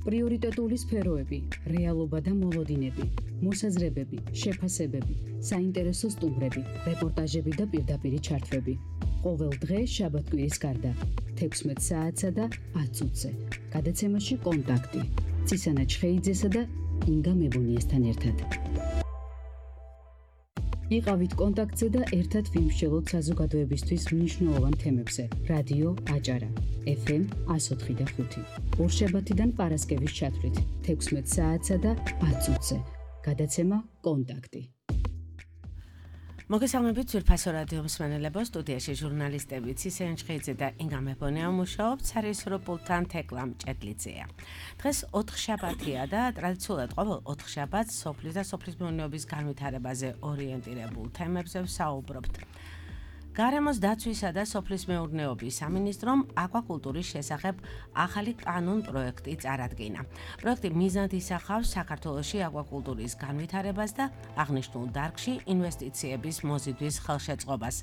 პრიორიტეტული სფეროები, რეალობა და მოლოდინები, მოსაზრებები, შეფასებები, საინტერესო სტუმრები, რეპორტაჟები და პირდაპირი ჩართვები. ყოველ დღე შაბათ-კვირის გარდა 16 საათსა და 10 წუთზე. გადაცემაში კონტაქტი. ცისანა ჩხეიძესა და ინგა მებუნიესთან ერთად. იყავით კონტაქტზე და ერთად ვიმსჯელოთ საზოგადოებისთვის მნიშვნელოვან თემებზე. რადიო აჭარა, FM 104.5. ორშაბათიდან პარასკევის ჩათვლით 16 საათსა და 10 წუთზე. გადაცემა კონტაქტი. მოგესალმებით ძვირფასო რადიო მსმენელებო, სტუდიაში ჟურნალისტები ცისანა ჩხეიძე და ინგა მებუნია მუშაობთ, სარიესო პულტთან თეკლა მჭედლიძეა. დღეს 4 შაბათია და ტრადიციულად ყოველ 4 შაბათს სოფლის და სოფლის მეურნეობის განვითარებაზე ორიენტირებულ თემებზე ვსაუბრობთ. გარემოს დაცვისა და სოფლის მეურნეობის სამინისტრომ აკვაკულტურის შესახებ ახალი კანონ პროექტი წარადგინა. პროექტი მიზნად ისახავს საქართველოში აკვაკულტურის განვითარებას და აღნიშნულ დარგში ინვესტიციების მოზიდვის ხელშეწყობას,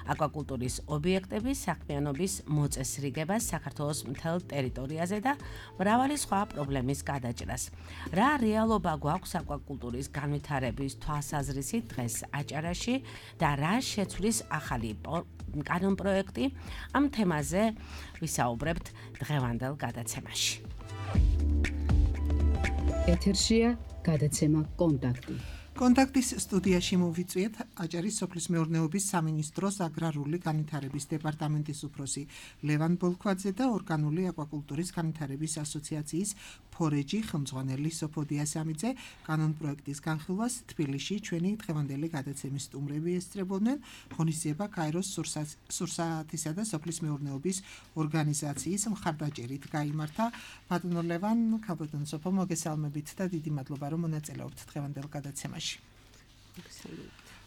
აკვაკულტურის ობიექტების საქმიანობის მოწესრიგებას საქართველოს მთელ ტერიტორიაზე და მრავალი სხვა პრობლემის გადაჭრას. რა რეალობა გვაქვს აკვაკულტურის განვითარების თვალსაზრისით დღეს აჭარაში და რა შეცვლის ახალი კანონ პროექტი, ამ თემაზე ვისაუბრებთ დღევანდელ გადაცემაში. ეთერშია გადაცემა კონტაქტი. კონტაქტის სტუდიაში მოვიწვიეთ აჭარის სოფლის მეურნეობის სამინისტროს აგრარული განვითარების დეპარტამენტის უფროსი ლევან ბოლქვაძე და ორგანული აკვაკულტურის განვითარების ასოციაციის ფორეჯი ხელმძღვანელი სოფო დიასამიძე. კანონ პროექტის განხილვას თბილისში ჩვენი დღევანდელი გადაცემის სტუმრები ესწრებოდნენ. ღონისძიება კაიროს სურსათისა და სოფლის მეურნეობის ორგანიზაციის მხარდაჭერით გაიმართა. ბატონო ლევან, ქალბატონო სოფო, მოგესალმებით და დიდი მადლობა რომ მონაწილეობთ დღევანდელ გადაცემაში.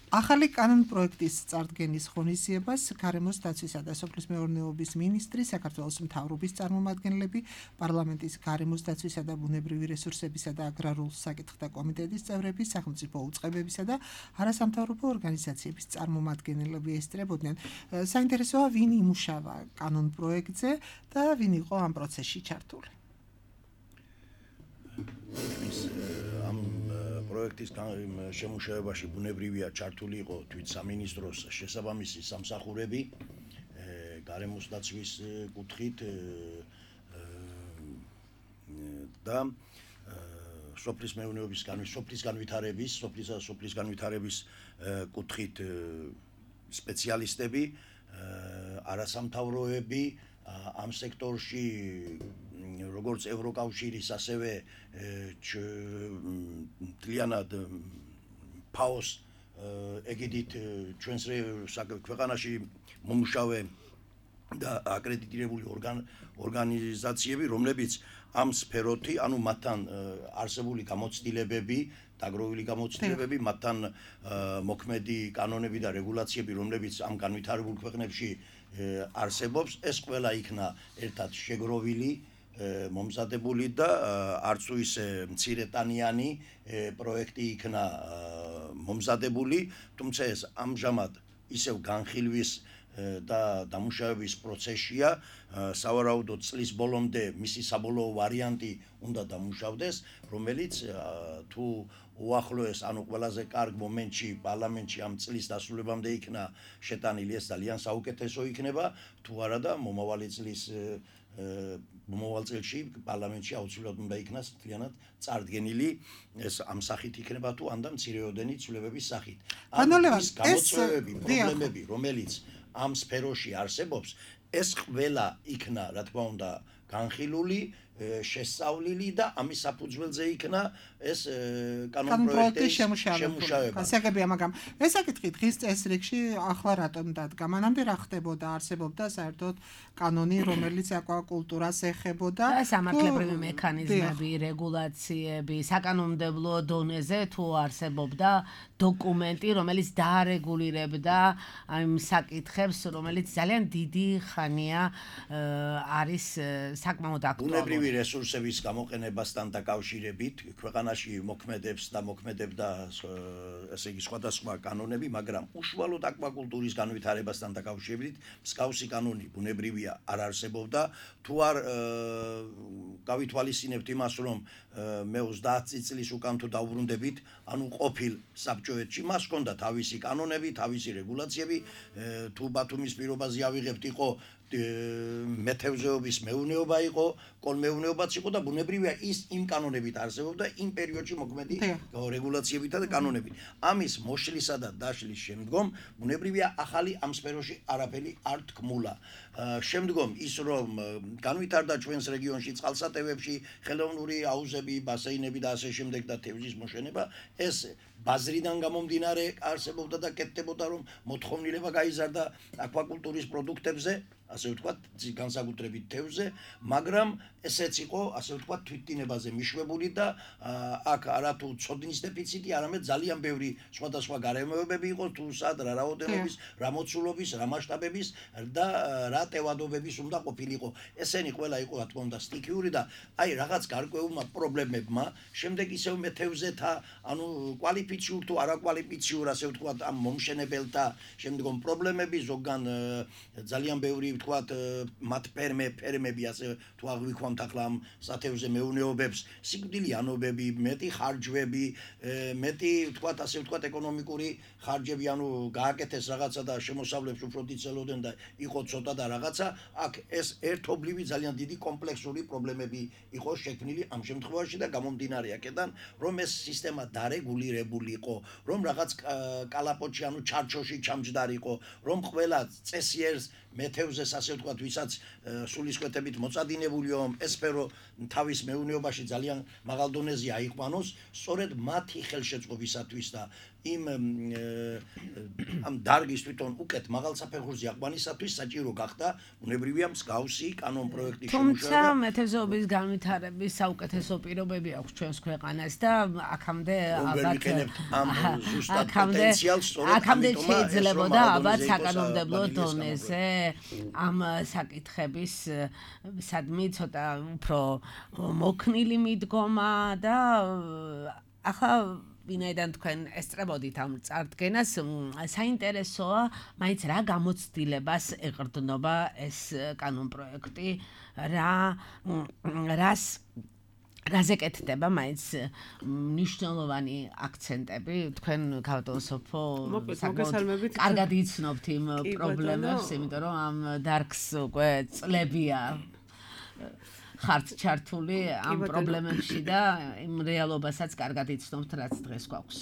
ახალი კანონ პროექტის წარდგენის ღონისძიებას გარემოს დაცვისა და სოფლის მეურნეობის მინისტრი, საქართველოს მთავრობის წარმომადგენლები, პარლამენტის გარემოს დაცვისა და ბუნებრივი რესურსებისა და აგრარულ საკითხთა კომიტეტის წევრები, სახელმწიფო უწყებებისა და არასამთავრობო ორგანიზაციების წარმომადგენლები ესწრებოდნენ. საინტერესოა, ვინ იმუშავა კანონ პროექტზე და ვინ იყო ამ პროცესში ჩართული. პროექტის შემუშავებაში ბუნებრივია ჩართული იყო თვით სამინისტროს შესაბამისი სამსახურები, გარემოს დაცვის კუთხით და სოფლის მეურნეობის სოფლის განვითარების კუთხით სპეციალისტები, არასამთავროები ამ სექტორში, როგორც ევროკავშირის, ასევე მთლიანად ფაოს ეგიდით ჩვენს ქვეყანაში მომუშავე და აკრედიტირებული ორგანიზაციები, რომლებიც ამ სფეროთი, ანუ მათთან არსებული გამოცდილებები, დაგროვილი გამოცდილებები, მათთან მოქმედი კანონები და რეგულაციები, რომლებიც ამ განვითარებულ ქვეყნებში არსებობს, ეს ყველა იქნა ერთად შეგროვილი, მომზადებული და არც ისე მცირეტანიანი პროექტი იქნა მომზადებული, თუმცა ეს ამჟამად ისევ განხილვის და დამუშავების პროცესია. სავარაუდოდ წლის ბოლომდე მისი საბოლოო ვარიანტი უნდა დამუშავდეს, რომელიც თუ უახლოეს, ანუ ყველაზე კარგ მომენტში პარლამენტში ამ წლის დასრულებამდე იქნა შეტანილი, ეს ძალიან საუკეთესო იქნება, თუ არა და მომავალ წელში პარლამენტში აუცილებლად უნდა იქნას მთლიანად წარდგენილი, ეს ამ სახით იქნება თუ ანდა მცირეოდენი ცვლილებების სახით. ის გამოწვევები, პრობლემები, რომელიც ამ სფეროში არსებობს, ეს ყველა იქნა, რა თქმა უნდა, განხილული, შესწავლილი და ამის საფუძველზე იქნა ეს კანონ პროექტის შემუშავება. გასაგებია, მაგრამ ეს საკითხი დღის წესრიგში ახლა რატომ დადგა? მანამდე რა ხდებოდა? არსებობდა საერთოდ კანონი, რომელიც აკვაკულტურას ეხებოდა? სამართლებრივი მექანიზმები, რეგულაციები, საკანონმდებლო დონეზე თუ არსებობდა დოკუმენტი, რომელიც დაარეგულირებდა ამ საკითხებს, რომელიც ძალიან დიდი ხანია არის საკმაოდ აქტუალური. ბუნებრივი რესურსების გამოყენებასთან დაკავშირებით ქვეყანაში მოქმედებს და მოქმედებდა ესე იგი სხვადასხვა კანონები, მაგრამ უშუალოდ აკვაკულტურის განვითარებასთან დაკავშირებით მსგავსი კანონი ბუნებრივია არ არსებობდა. თუ არ გავითვალისწინებთ იმას, რომ მე 30 წლის უკან თუ დავბრუნდებით, ანუ ყოფილ საბჭოეთში მას ჰქონდა თავისი კანონები, თავისი რეგულაციები, თუ ბათუმის პირობაზე ავიღებთ, იყო მეთევზეობის მეურნეობა იყო, კოლმეურნეობაც იყო და ბუნებრივია ის იმ კანონებით არსებობდა იმ პერიოდში მოქმედი რეგულაციებით და კანონებით. ამის მოშლისა და დაშლის შემდგომ ბუნებრივია ახალი ამ სფეროში არაფერი არ თქმულა. შემდგომ ის რომ განვითარდა ჩვენს რეგიონში წყალსატევებში ხელოვნური აუზები, ბასეინები და ასე შემდეგ და თევზის მოშენება, ეს ბაზრიდან გამომდინარე არსებობდა და კეთდებოდა რომ მოთხოვნილება გაიზარდა აკვაკულტურის პროდუქტებზე, ასე ვთქვათ, განსაკუთრებით თევზზე, მაგრამ ესეც იყო, ასე ვთქვათ, თვითდინებაზე მიშვებული და აქ არათუ ცოდნის დეფიციტი, არამედ ძალიან ბევრი სხვადასხვა გარემოებები იყო, თუ სად რა რაოდენობის, რა მოცულობის, რა მასშტაბების და რა ტევადობების უნდა ყოფილიყო. ესენი ყველა იყო, რა თქმა უნდა, სტიქიური და აი რაღაც გარკვეულმა პრობლემებმა, შემდეგ ისევ მეთევზეთა, ანუ კვალიფიციურ თუ არაკვალიფიციურ, ასე ვთქვათ, ამ მომშენებელთა შემდგომ პრობლემები, ზოგან ძალიან ბევრი ვთქვათ, მათ ფერმები, ასე თუ აღვიქვამთ ახლა ამ სათევზე მეურნეობებს, სიკვდილიანობები, მეტი ხარჯვები, მეტი ვთქვათ, ასე ვთქვათ, ეკონომიკური ხარჯები, ანუ გააკეთეს რაღაცა და შემოსავლებს უფრო დიდ და იყო ცოტა და რაღაცა, აქ ეს ერთობლივი ძალიან დიდი კომპლექსური პრობლემები იყო შექმნილი ამ შემთხვევაში და გამომდინარე აქედან, რომ ეს სისტემა დარეგულირებული იყო, რომ რაღაც კალაპოტში, ანუ ჩარჩოში ჩამჯდარიყო, რომ ყველა წესიერს მეთევზეს, ასე ვთქვათ, ვისაც სულისკვეთებით მოწადინებულიო ეს სფერო თავის მეურნეობაში ძალიან მაღალ დონეზე აიყვანოს, სწორედ მათი ხელშეწყობისათვის და იმ ამ დარგის თვითონ უკეთ მაღალ საფეხურზე აყვანისათვის საჭირო გახდა ბუნებრივია მსგავსი კანონ პროექტის შემუშავება. თუმცა მეთევზეობის განვითარების საუკეთესო პირობები აქვს ჩვენს ქვეყანას და აქამდე ალბათ აქამდე შეიძლებოდა ალბათ საკანონმდებლო დონეზე ამ საკითხების სადმი ცოტა უფრო მოქნილი მიდგომა და ახლა ვინაიდან თქვენ ესწრებოდით ამ წარდგენას, საინტერესოა მაინც რა გამოცდილებას ეყრდნობა ეს კანონპროექტი, რაზე კეთდება მაინც მნიშვნელოვანი აქცენტები, თქვენ გავდოსოფო კარგად იცნობთ იმ პრობლემებს, იმიტომ რომ ამ დარგს უკვე წლებია ხართ ჩართული ამ პრობლემებში და იმ რეალობასაც კარგად იცნობთ, რაც დღეს გვაქვს.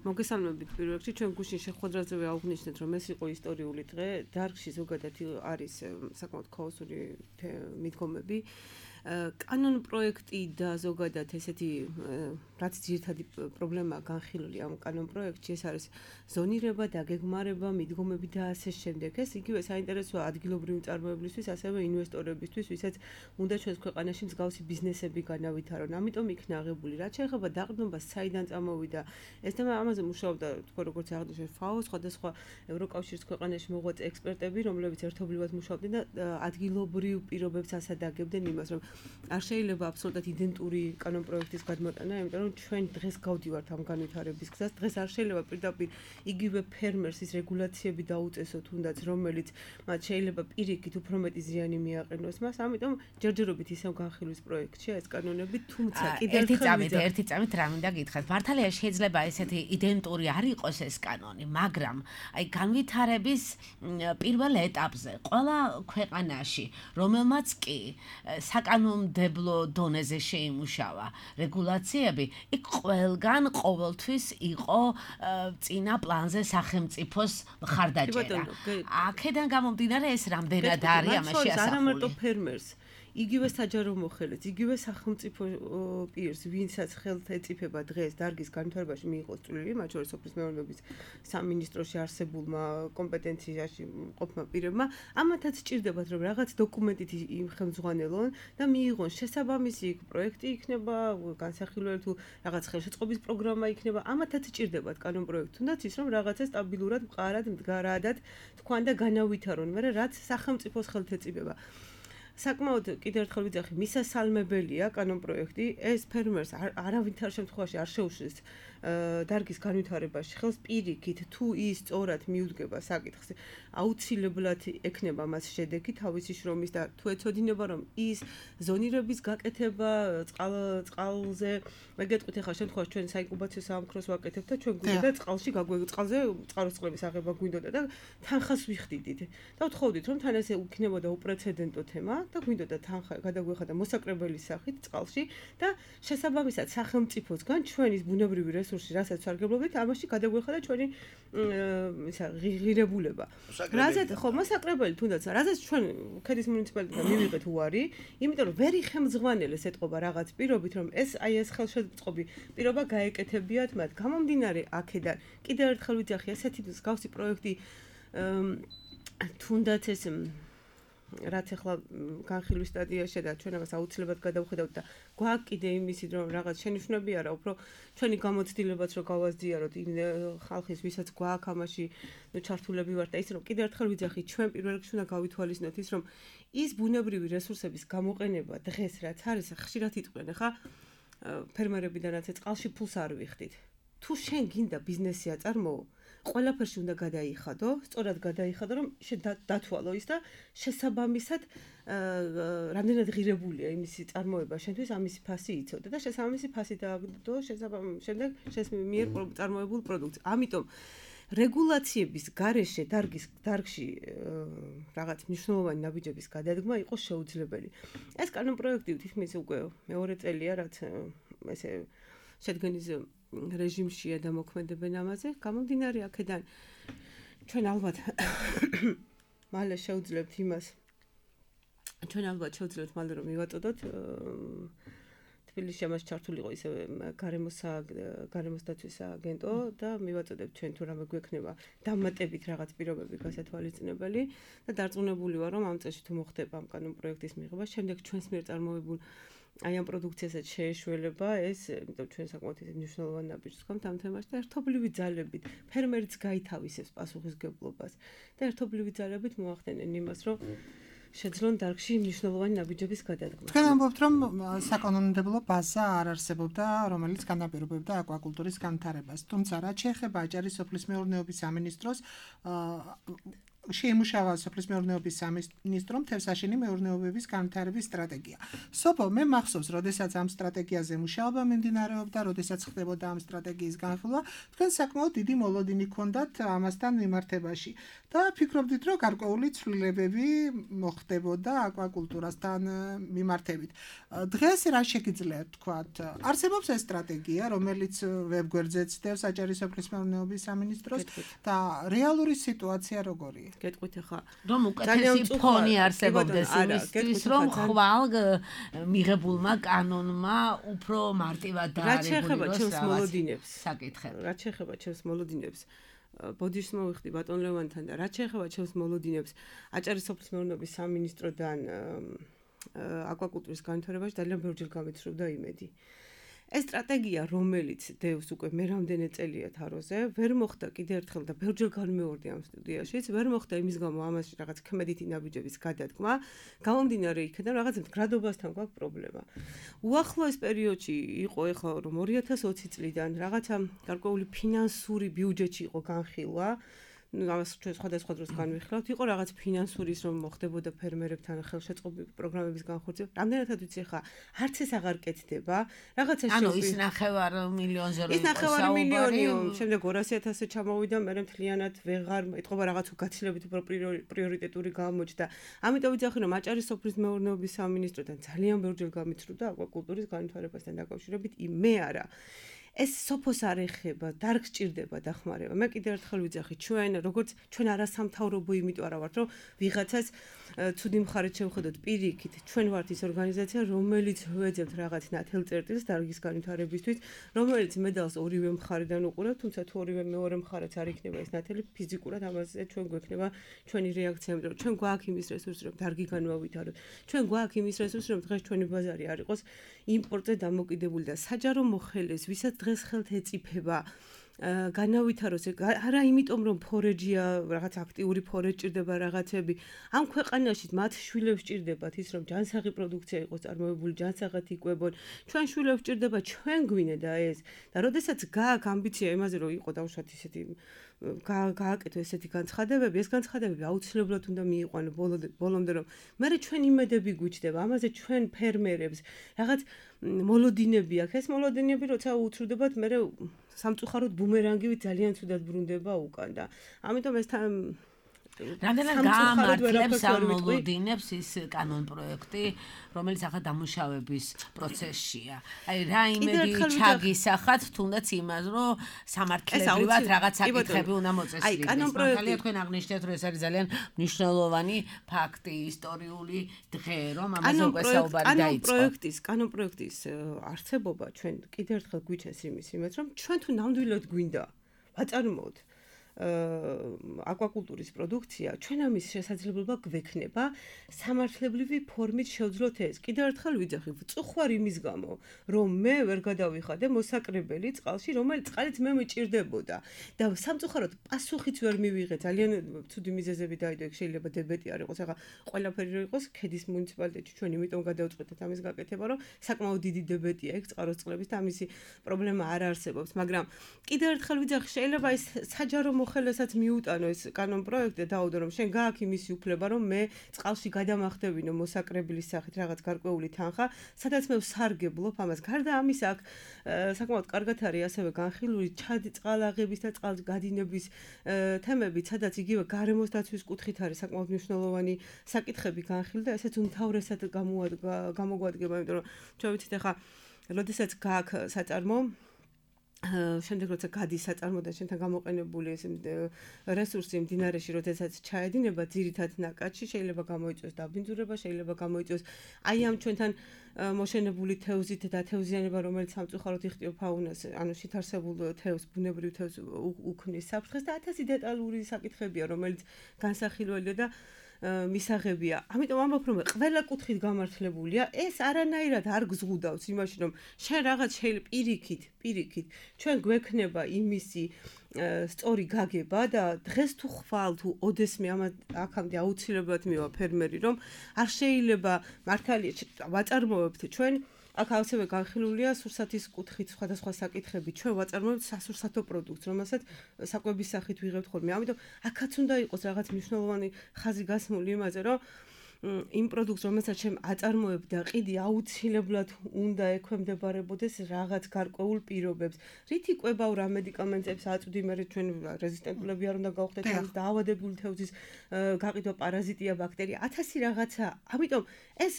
მოგესალმებით პირველ რიგში, ჩვენ გუშინ შეხვედრაზე აღვნიშნეთ, რომ ეს იყო ისტორიული დღე, დარგში ზოგადად არის საკმაოდ ქაოსური მიდგომები. კანონ პროექტი და ზოგადად ესეთი რაც ძირითადი პრობლემაა განხილული ამ კანონ პროექტში, ეს არის ზონირება, დაგეგმარება, მიდგომები და ასე შემდეგ. ეს იგივე საინტერესოა ადგილობრივი მწარმოებლისთვის, ასევე ინვესტორებისთვის, ვისაც უნდა ჩვენს ქვეყანაში მსგავსი ბიზნესები განავითარონ. ამიტომ იქნა აღებული. რაც შეეხება დაყრდნობას, საიდან წამოვიდა, ეს თემა ამაზე მუშაობდა, თქვენ როგორც აღნიშნეთ, FAO, სხვადასხვა ევროკავშირის ქვეყანაში მოღვაწე ექსპერტები, რომლებიც ერთობლივად მუშაობდნენ და ადგილობრივ პირობებს ასადაგებდნენ იმას, რომ არ შეიძლება აბსოლუტურად იდენტური კანონ პროექტის გადმოტანა, იმიტომ რომ ჩვენ დღეს გავდივართ ამ განვითარების გზას. დღეს არ შეიძლება პირდაპირ იგივე ფერმერს ის რეგულაციები დაუწესოთ, თუნდაც რომელიც მათ შეიძლება პირიქით უფრო მეტი ზიანი მიაყენოს მას. ამიტომ ჯერჯერობით ისევ განხილვის პროექტშია ეს კანონები, თუმცა კიდევ ერთი წამით რა მინდა გითხრათ. მართალია შეიძლება ესეთი იდენტური არ იყოს ეს კანონი, მაგრამ აი განვითარების პირველ ეტაპზე ყველა ქვეყანაში, რომელმაც კი საკანონმდებლო დონეზე შეიმუშავა რეგულაციები, იქ ყველგან ყოველთვის იყო წინა პლანზე სახელმწიფოს მხარდაჭერა. აქედან გამომდინარე ეს რამდენად არის ამაში ასახული. არა მარტო ფერმერს, იგივე საჯარო მოხელეც, იგივე სახელმწიფო პირს, ვინცაც ხელთ ეწიფება დღეს დარგის განვითარებაში მიიღოს წვლილი, მათ შორის სოფლის მეურნეობის სამინისტროში არსებულმა კომპეტენციაში მყოფმა პირებმა, ამათაც სჭირდებათ, რომ რაღაც დოკუმენტით იმხელმძღვანელონ და მიიღონ შესაბამისი პროექტი იქნება, განსახილველი თუ რაღაც ხელშეწყობის პროგრამა იქნება, ამათაც სჭირდებათ კანონ პროექტი, თუნდაც ის რომ რაღაცა სტაბილურად, მყარად, მდგარადად თქვან და განავითარონ, მაგრამ რაც სახელმწიფოს ხელთ ეწიფება. საკმაოდ კიდევ ერთხელ ვიძახი, მისასალმებელია კანონპროექტი, ეს ფერმერს არავითარ შემთხვევაში არ შეუშლის დარგის განვითარებაში ხელს პირიქით თუ ის სწორად მიუდგება საკითხს აუცილებლად ექნება მას შედეგი თავისი შრომის და თუ ეცოდინება რომ ის ზონირების გაკეთება წყალზე მე გეტყვით ახლა შემთხვევაში ჩვენ საინკუბაციო საამქროს ვაკეთებთ და ჩვენ გვინდა წყალში წყალზე წყაროს წყლების აღება გვინდოდა და თანხას ვიხდიდით და ვთხოვდით რომ თან ესე იქნებოდა უპრეცედენტო თემა და გვინდოდა თანხა გადაგვეხადა მოსაკრებელის სახით წყალში და შესაბამისად სახელმწიფოსგან ჩვენის ბუნებრივი რესურსი რასაც სარგებლობთ ამაში გადაგვეხადა ჩვენი ღირებულება რაზეც ხო მოსაკრებელი თუნდაც რაზეც ჩვენ ქედის მუნიციპალიტეტიდან მივიღეთ უარი იმიტომ რომ ვერ იხელმძღვანელეს ეთყობა რაღაც პირობით რომ ეს აი ეს ხელშეწყობი პირობა გაეკეთებიათ მათ გამომდინარე აქედან კიდევ ერთხელ ვიძახი ესეთი მსგავსი პროექტი თუნდაც ეს რაც ახლა განხილვის სტადიაში და ჩვენ ამას აუცილებლად გადავხედავთ და გვაქვს კიდე იმისი რომ რაღაც შენიშვნები არა უფრო ჩვენი გამოცდილებაც რომ გავაზიაროთ ხალხის ვისაც გვაქვს ამაში ჩართულები ვართ და ის რომ კიდევ ერთხელ ვიძახი ჩვენ პირველ რიგში უნდა გავითვალისწინოთ ის რომ ის ბუნებრივი რესურსების გამოყენება დღეს რაც არის ხშირად იტყვიან ხა ფერმერებიდანაც წყალში ფულს არ ვიხდით თუ შენ გინდა ბიზნესი აწარმოო ყველაფერში უნდა გადაიხადო, სწორად გადაიხადო, რომ დათვალო ის და შესაბამისად რამდენად ღირებულია იმისი წარმოება შენთვის ამისი ფასი იცოდე და შესაბამისი ფასი დააგდო შემდეგ შენს მიერ წარმოებულ პროდუქტს. ამიტომ რეგულაციების გარეშე დარგში რაღაც მნიშვნელოვანი ნაბიჯების გადადგმა იყო შეუძლებელი. ეს კანონპროექტი თითქმის უკვე მეორე წელია, რაც ესე შედგენის რეჟიმშია და მოქმედებენ ამაზე. გამომდინარე აქედან ჩვენ ალბათ მალე შევძლებთ იმას. ჩვენ ალბათ შევძლებთ მალე რომ მივაწოდოთ თბილისში ამას ჩართულიყო ისე გარემოს დაცვის აგენტო და მივაწოდებთ ჩვენ თუ რამე გვექნება დამატებით რაღაც პირობები გასათვალისწინებელი და დარწმუნებული ვარ რომ ამ წელს თუ მოხდება ამ კანონპროექტის მიღება, შემდეგ ჩვენს მიერ წარმოებულ აი ამ პროდუქციასაც შეეშველება ეს, იმიტომ ჩვენ საკმაოდ მნიშვნელოვანი ნაბიჯს გვაქვს ამ თემაში და ერთობლივი ძალებით ფერმერიც გაითავისებს პასუხისგებლობას და ერთობლივი ძალებით მოახდენენ იმას, რომ შეძლონ დარგში მნიშვნელოვანი ნაბიჯების გადადგმა. თქვენ ამბობთ, რომ საკანონმდებლო ბაზა არ არსებობდა, რომელიც განაპირობებდა აკვაკულტურის განვითარებას. თუმცა რაც შეეხება აჭარის სოფლის მეურნეობის სამინისტროს შეიმუშავა სოფლის მეურნეობის სამინისტრომ თევზსაშენი მეურნეობების განვითარების სტრატეგია. სოფო, მე მახსოვს, როდესაც ამ სტრატეგიაზე მუშაობა მიმდინარეობდა, როდესაც ხდებოდა ამ სტრატეგიის განხილვა, თქვენ საკმაოდ დიდი მოლოდინი ჰქონდათ ამასთან მიმართებაში და ფიქრობდით, რომ გარკვეული ცვლილებები მოხდებოდა აკვაკულტურასთან მიმართებით. დღეს რა შეგიძლიათ თქვათ? არსებობს ეს სტრატეგია, რომელიც ვებგვერდზე ცდებს აჭარის სოფლის მეურნეობის სამინისტროს და რეალური სიტუაცია როგორია? გეტყვით ახლა რომ უკეთესი ფონი არსებობდეს იმისთვის რომ ხვალ მიღებულმა კანონმა უფრო მარტივად დაარეგულიროს საკითხები. რაც შეეხება ჩემს მოლოდინებს ბოდიშს მოვიხდი ბატონ ლევანთან და რაც შეეხება ჩემს მოლოდინებს აჭარის სოფლის მეურნეობის სამინისტროდან აკვაკულტურის განვითარებაში ძალიან ბევრჯერ გამიცრუდა იმედი. ეს სტრატეგია, რომელიც დევს უკვე მე რამდენი წელია თაროზე, ვერ მოხდა კიდევ ერთხელ და ბევრჯერ განმეორდი ამ სტუდიაშიც, ვერ მოხდა იმის გამო ამაში რაღაც ქმედითი ნაბიჯების გადადგმა, გამომდინარე იქიდან რაღაც მდგრადობასთან გვაქვს პრობლემა. უახლოეს პერიოდში იყო ეხლა რომ 2020 წლიდან რაღაცა გარკვეული ფინანსური ბიუჯეტი იყო განხილვა, ამას ჩვენ სხვადასხვა დროს განვიხილავთ, იყო რაღაც ფინანსურის რომ მოხდებოდა ფერმერებთან ხელშეწყობილი პროგრამების განხორციელება. რამდენადაც ვიცი ხა, არც ეს აღარ კეთდება. რაღაცა ანუ ის 9 მილიონზე ის 9 მილიონიო, შემდეგ 200.000-ზე ჩამოვიდა, მე მთლიანად ვეღარ ეთყობა რაღაც გაცილებით უფრო პრიორიტეტული გამოჩნდა. ამიტომ ვიცი რომ აჭარის სოფლის მეურნეობის სამინისტროდან ძალიან ბევრჯერ გამიცრუდა აკვაკულტურის განვითარებასთან დაკავშირებით, მე არა. ეს სოფოს არ ეხება, დარგს ჭირდება დახმარება. მე კიდევ ერთხელ ვიძახი, როგორც ჩვენ არასამთავრობო იმიტომ არა ვართ, რომ ვიღაცას ცუდი მხარით შევხედოთ პირიქით. ჩვენ ვართ ის ორგანიზაცია, რომელიც ვეძებთ რაღაც ნათელწერტილს დარგის განვითარებისთვის, რომელიც მედალს ორივე მხარიდან უყურებთ, თუმცა თუ ორივე მეორე მხარეც არ იქნება ეს ნათელი ფიზიკურად ამაზე ჩვენ გვექნება ჩვენი რეაქცია, იმიტომ რომ ჩვენ გვაქვს იმის რესურსი, რომ დარგი განვავითაროთ. ჩვენ გვაქვს იმის რესურსი, რომ დღეს ჩვენი ბაზარი არ იყოს იმპორტზე დამოკიდებული და საჯარო მოხელეს, ვისაც დღეს ხელთ ეწიფება განავითაროს არა იმიტომ რომ ფორეჯია რაღაც აქტიური ფორეჯ ჭირდება რაღაცები ამ ქვეყანაში მათ შვილებს ჭირდებათ ის რომ ჯანსაღი პროდუქცია იყოს წარმოებული ჯანსაღად იკვებონ ჩვენ შვილებს ჭირდება ჩვენ გვინდა ეს და როდესაც გააქვს ამბიცია იმაზე რომ იყო დავუშვათ ისეთი გააკეთო ესეთი განცხადებები ეს განცხადებები აუცილებლად უნდა მიიყვანო ბოლომდე რომ მე ჩვენ იმედები გვიჩდება ამაზე ჩვენ ფერმერებს რაღაც მოლოდინები აქვს ეს მოლოდინები როცა უცრუდებათ მე სამწუხაროდ ბუმერანგივით ძალიან ცუდად ბრუნდება უკან და ამიტომ ეს რამდენად გაამართლებს ამ მოლოდინებს ის კანონ პროექტი რომელიც ახლა დამუშავების პროცესშია აი რა იმედი ჩაგისახათ თუნდაც იმას რომ სამართლებრივად რაღაც საკითხები უნდა მოწესრიგდეს კანონ პროექტი თქვენ აღნიშნეთ რომ ეს არის ძალიან მნიშვნელოვანი ფაქტი ისტორიული დღე რომ ამაზე უკვე საუბარი დაიწყო კანონ პროექტის არსებობა ჩვენ კიდევ ერთხელ გვიჩენს იმას რომ ჩვენ თუ ნამდვილად გვინდა ვაწარმოოთ აკვაკულტურის პროდუქცია ჩვენ ამის შესაძლებლობა გვექნება სამართლებრივი ფორმით შევძლოთ ეს კიდევ ერთხელ ვიძახი წუხვარ იმის გამო რომ მე ვერ გადავიხადე მოსაკრებელი წყალში რომელიც წყალიც მე მიჭირდებოდა და სამწუხაროდ პასუხიც ვერ მივიღე ძალიან ცუდი მიზეზები დაიდო ეგ შეიძლება დებეტი არ იყოს ახლა ყველაფერი რო იყოს ქედის მუნიციპალიტეტში ჩვენ იმიტომ გადავწყვეტეთ ამის გაკეთება რომ საკმაოდ დიდი დებეტია ეგ წყაროს წყლების და ამისი პრობლემა არ არსებობს მაგრამ კიდევ ერთხელ ვიძახი შეიძლება ეს საჯარო ხელესაც მიუტანო ეს კანონ პროექტი დაუდო რომ შენ გააქვს იმისი უფლება რომ მე წყალში გადამახდებინო მოსაკრებლის სახით რაღაც გარკვეული თანხა სადაც მე ვსარგებლობ ამას გარდა ამის აქ საკმაოდ კარგად არის ასევე განხილული წყალაღების და წყალგადინების თემები სადაც იგივე გარემოს დაცვის კუთხით არის საკმაოდ მნიშვნელოვანი საკითხები განხილული და ესეც უმთავრესად გამოგვადგება იმიტომ რომ ჩვენ ვიცით ახლა როდესაც გააქვს საწარმო შემდეგ როცა გადის საწარმო და შენთან გამოყენებული ეს რესურსი მდინარეში, როდესაც ჩაედინება ძირითად ნაკადში, შეიძლება გამოიწვიოს დაბინძურება, შეიძლება გამოიწვიოს აი ამ ჩვენთან მოშენებული თევზით და თევზიანება, რომელიც სამწუხაროდ იხტიო ფაუნას, ანუ შეთარსებულ თევზს, ბუნებრივ თევზს უქმნის საფრთხეს და 1000 დეტალური საკითხებია, რომელიც განსახილველია და მისაღებია. ამიტომ ამბობ რომ ყველა კუთხით გამართლებულია, ეს არანაირად არ გზღუდავს იმაში რომ შენ რაღაც შეიძლება პირიქით ჩვენ გვექნება იმისი სწორი გაგება და დღეს თუ ხვალ თუ ოდესმე აქამდე აუცილებლად მივა ფერმერი რომ არ შეიძლება მართალია ვაწარმოებთ ჩვენ აქ ასევე განხილულია სურსათის კუთხით სხვადასხვა საკითხები. ჩვენ ვაწარმოებთ სასურსათო პროდუქტს, რომელსაც საკვების სახით ვიღებთ ხოლმე. ამიტომ აქაც უნდა იყოს რაღაც მნიშვნელოვანი ხაზი გასმული იმაზე, რომ იმ პროდუქტს, რომელსაც ჩვენ აწარმოებ და ყიდი აუცილებლად უნდა ექვემდებარებოდეს რაღაც გარკვეულ პირობებს. რითი კვებავ რა მედიკამენტებს აწვდი, მე ჩვენ რეზისტენტულები არ უნდა გავხდეთ, ამის დაავადებული თევზის გაყიდვა, პარაზიტია, ბაქტერია, 1000 რაღაცა. ამიტომ ეს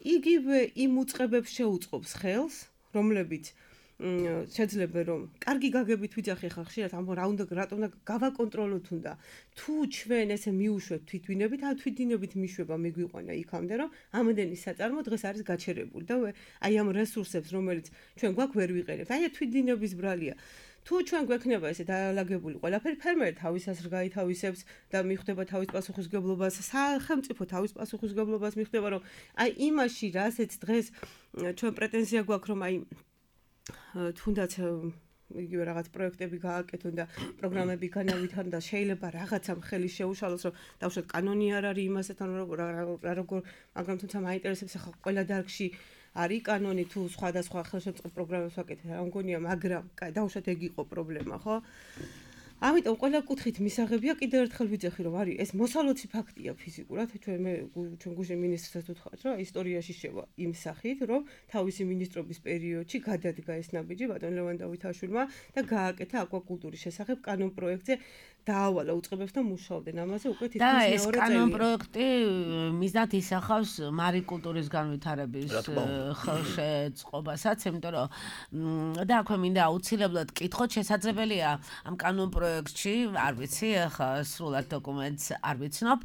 იგივე იმ უწყებებს შეუწყობს ხელს, რომლებიც შეძლება რომ კარგი გაგებით ვიძახი ხა ხშირად ამ რატომ უნდა გავაკონტროლოთ უნდა თუ ჩვენ ესე მიუშვებთ თვითვინებით ან თვითდინებით მიშვება მიგვიყვანა იქამდე რომ ამდენი საწარმო დღეს არის გაჩერებული და აი ამ რესურსებს რომელიც ჩვენ გვაქვს ვერ ვიყენებთ აი თვითდინების ბრალია თუ ჩვენ გვექნება ესე დაალაგებული ყველაფერი ფერმერი თავის ასრ გაითავისებს და მიხვდება თავის პასუხისგებლობას სახელმწიფო თავის პასუხისგებლობას მიხვდება რომ აი იმაში რასაც დღეს ჩვენ პრეტენზია გვაქვს რომ აი თუნდაც იგივე რაღაც პროექტები გააკეთონ და პროგრამები განავითარონ და შეიძლება რაღაცამ ხელი შეუშალოს რომ დავუშვათ კანონი არ არის იმასთან როგორ მაგრამ თუმცა მაინტერესებს ახლა ყველა დარგში არის კანონი თუ სხვადასხვა ხელშეწყობილ პროგრამებს ვაკეთებ რა მგონია მაგრამ დავუშვათ ეგ იყო პრობლემა ხო ამიტომ ყველა კუთხით მისაღებია კიდევ ერთხელ ვიძახი რომ არის ეს მოსალოცი ფაქტია ფიზიკურად ჩვენ გუშინ მინისტრსაც ვთქვათ რომ ისტორიაში შევა იმ სახით რომ თავისი მინისტრობის პერიოდში გადადგა ეს ნაბიჯი ბატონ ლევან დავითაშვილმა და გააკეთა აკვაკულტურის შესახებ კანონ პროექტზე დაავალა უწყებებს და მუშაობდნენ ამაზე უკვე თითქმის მეორე წელი. და ეს კანონ პროექტი მიზნად ისახავს მარიკულტურის განვითარების ხელშეწყობასაც, იმიტომ რომ და აქვე მინდა აუცილებლად კითხოთ შესაძლებელია ამ კანონ პროექტში, არ ვიცი, ახლა სრულად დოკუმენტს არ ვიცნობ,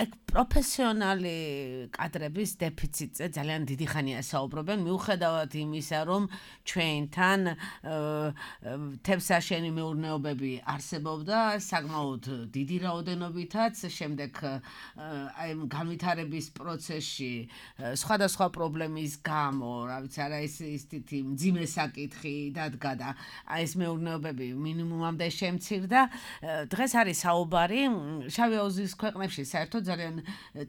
ეგ პროფესიონალი კადრების დეფიციტზე ძალიან დიდი ხანია საუბრობენ, მიუხედავად იმისა, რომ ჩვენთან თევზსაშენი მეურნეობები არსებობს მუშაობდა საკმაოდ დიდი რაოდენობითაც, შემდეგ აი განვითარების პროცესში სხვადასხვა პრობლემის გამო, რა ვიცი, არა ის თითი მძიმე საკითხი დადგა და აი ეს მეურნეობები მინიმუმამდე შემცირდა. დღეს არის საუბარი შავი აუზის ქვეყნებში საერთოდ ძალიან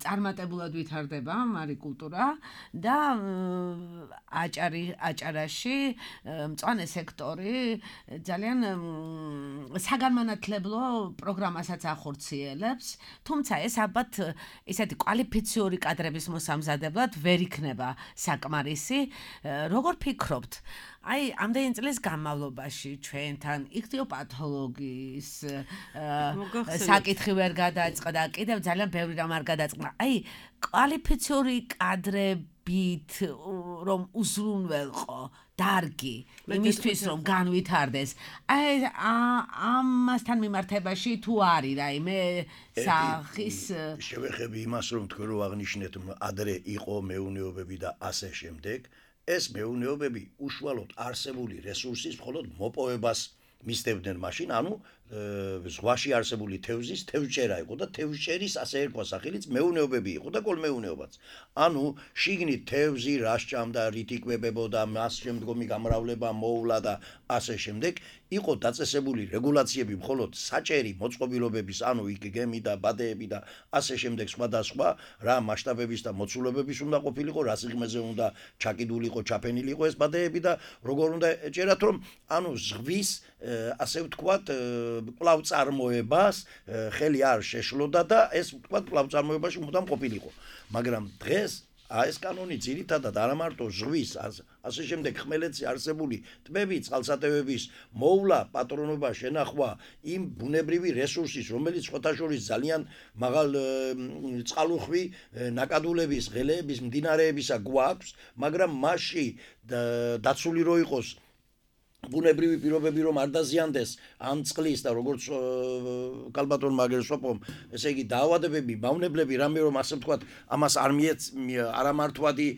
წარმატებულად ვითარდება მარიკულტურა და აჭარაში მწვანე სექტორი ძალიან საგანმანათლებლო პროგრამასაც ახორციელებს, თუმცა ეს ალბათ ისეთი კვალიფიციური კადრების მოსამზადებლად ვერ იქნება საკმარისი. როგორ ფიქრობთ? აი, ამდენი წლის განმავლობაში ჩვენთან იქთიოპათოლოგიის საკითხი ვერ გადაწყდა და კიდევ ძალიან ბევრი რამ არ გადაწყდა. აი, კვალიფიციური კადრებით რომ უზრუნველყო დარგი იმისთვის რომ განვითარდეს. აი, ამასთან მიმართებაში თუ არის რაიმე სახის შევეხები იმას რომ თქვენ რო აღნიშნეთ ადრე იყო მეუნეობები და ასე შემდეგ. ეს მეუნეობები უშუალოდ არსებული რესურსის მხოლოდ მოპოვებას მისდევდნენ მაშინ, ანუ ზღვაში არსებული თევზის თევზჭერა იყო და თევზჭერის ასე ერქვა სახელიც მეუნეობები იყო და კოლმეუნეობაც. ანუ შიგნით თევზი რა სჭამდა, რით იკვებებოდა, მას შემდგომი გამრავლება მოუვლა და ასე შემდეგ. იყო დაწესებული რეგულაციები მხოლოდ საჭერი მოწყობილობების, ანუ გემი და ბადეები და ასე შემდეგ სხვადასხვა რა მასშტაბების და მოცულობების უნდა ყოფილიყო, რა სიღრმეზე უნდა ჩაკიდულიყო, ჩაფენილიყო ეს ბადეები და როგორ უნდა ეჭერათ, რომ ანუ ზღვის ასე ვთქვათ კვლავწარმოებას ხელი არ შეშლოდა და ეს ვთქვათ კვლავწარმოებაში მუდამ ყოფილიყო. მაგრამ დღეს ეს კანონი ძირითადად არა მარტო ზღვის, ასე შემდეგ ხმელეთზე არსებული ტბები, წყალსატევების მოვლა, პატრონობა, შენახვა იმ ბუნებრივი რესურსის, რომელიც სხვათაშორის ძალიან მაღალ წყალუხვი ნაკადულების, ღელეების, მდინარეებისა გვაქვს, მაგრამ მასში დაცული რო იყოს ბუნებრივი პირობები რომ არ დაზიანდეს ამ წყლის და როგორც კალბატონ მაგერსოპომ, ესე იგი დაავადებები, მავნებლები, რამე რომ ასე ვთქვათ, ამას არამართვადი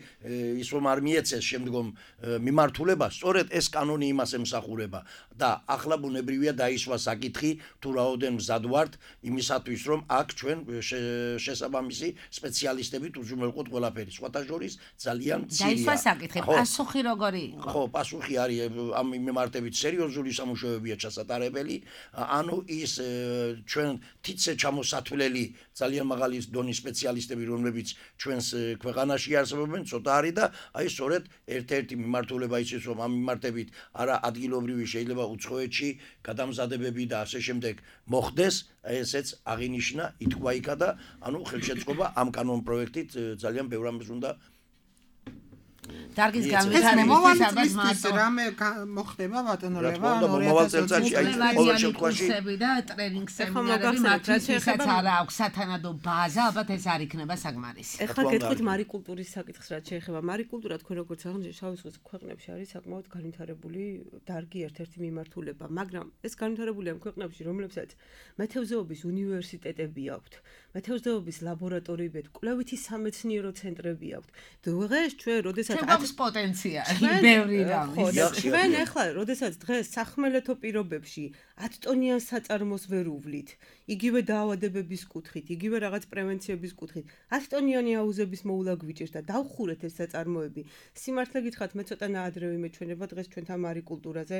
ის რომ არ მიეცეს შემდგომ მიმართულება, სწორედ ეს კანონი იმას ემსახურება და ახლა ბუნებრივია დაისვა საკითხი თუ რაოდენ მზად ვართ იმისათვის რომ აქ ჩვენ შესაბამისი სპეციალისტებით უზრუნველყოთ ყველაფერი. სხვათა შორის ძალიან მცირეა. დაისვა საკითხი, პასუხი როგორი იყო? ხო, პასუხი არის ამ მიმართებით სერიოზული სამუშაოებია ჩასატარებელი, ანუ ის ჩვენ თითზე ჩამოსათვლელი ძალიან მაღალი დონის სპეციალისტები, რომლებიც ჩვენს ქვეყანაში არსებობენ, ცოტა არის და აი სწორედ ერთ-ერთი მიმართულება ის რომ ამ მიმართებით არა ადგილობრივი შეიძლება უცხოეთში გადამზადებები და ასე შემდეგ მოხდეს, ესეც აღინიშნა, ითქვა იქა და ანუ ხელშეწყობა ამ კანონ პროექტით ძალიან ბევრ ამას უნდა დარგის განვითარებისთვის რამე მოხდება ბატონო ლევა, ანუ 2020 წელიწადში აი ყოველ შემთხვევაში და ტრენინგ სემინარები მათთვის არა აქვს სათანადო ბაზა, ალბათ ეს არ იქნება საკმარისი. ეხლა გეტყვით მარიკულტურის საკითხს, რაც შეეხება მარიკულტურა, თქვენ როგორც აღნიშნეთ, შავი ზღვის ქვეყნებში არის საკმაოდ განვითარებული დარგი ერთ-ერთი მიმართულება, მაგრამ ეს განვითარებული ამ ქვეყნებში, რომლებსაც მეთევზეობის უნივერსიტეტები აქვთ, მეთევზეობის ლაბორატორიები, კვლევითი სამეცნიერო ცენტრები აქვთ. დღეს ჩვენ როდესაც აქვს პოტენციალი ბევრი რამის. ჩვენ ახლა როდესაც დღეს სახმელეთო პირობებში 10 ტონიან საწარმოს ვერ უვლით, იგივე დაავადებების კუთხით, იგივე რაღაც პრევენციების კუთხით, 10 ტონიანი აუზების მოულა გვიჭირს და დავხურეთ ეს საწარმოები. სიმართლე გითხრათ, მე ცოტა ნაადრევი მეჩვენება დღეს ჩვენთან მარიკულტურაზე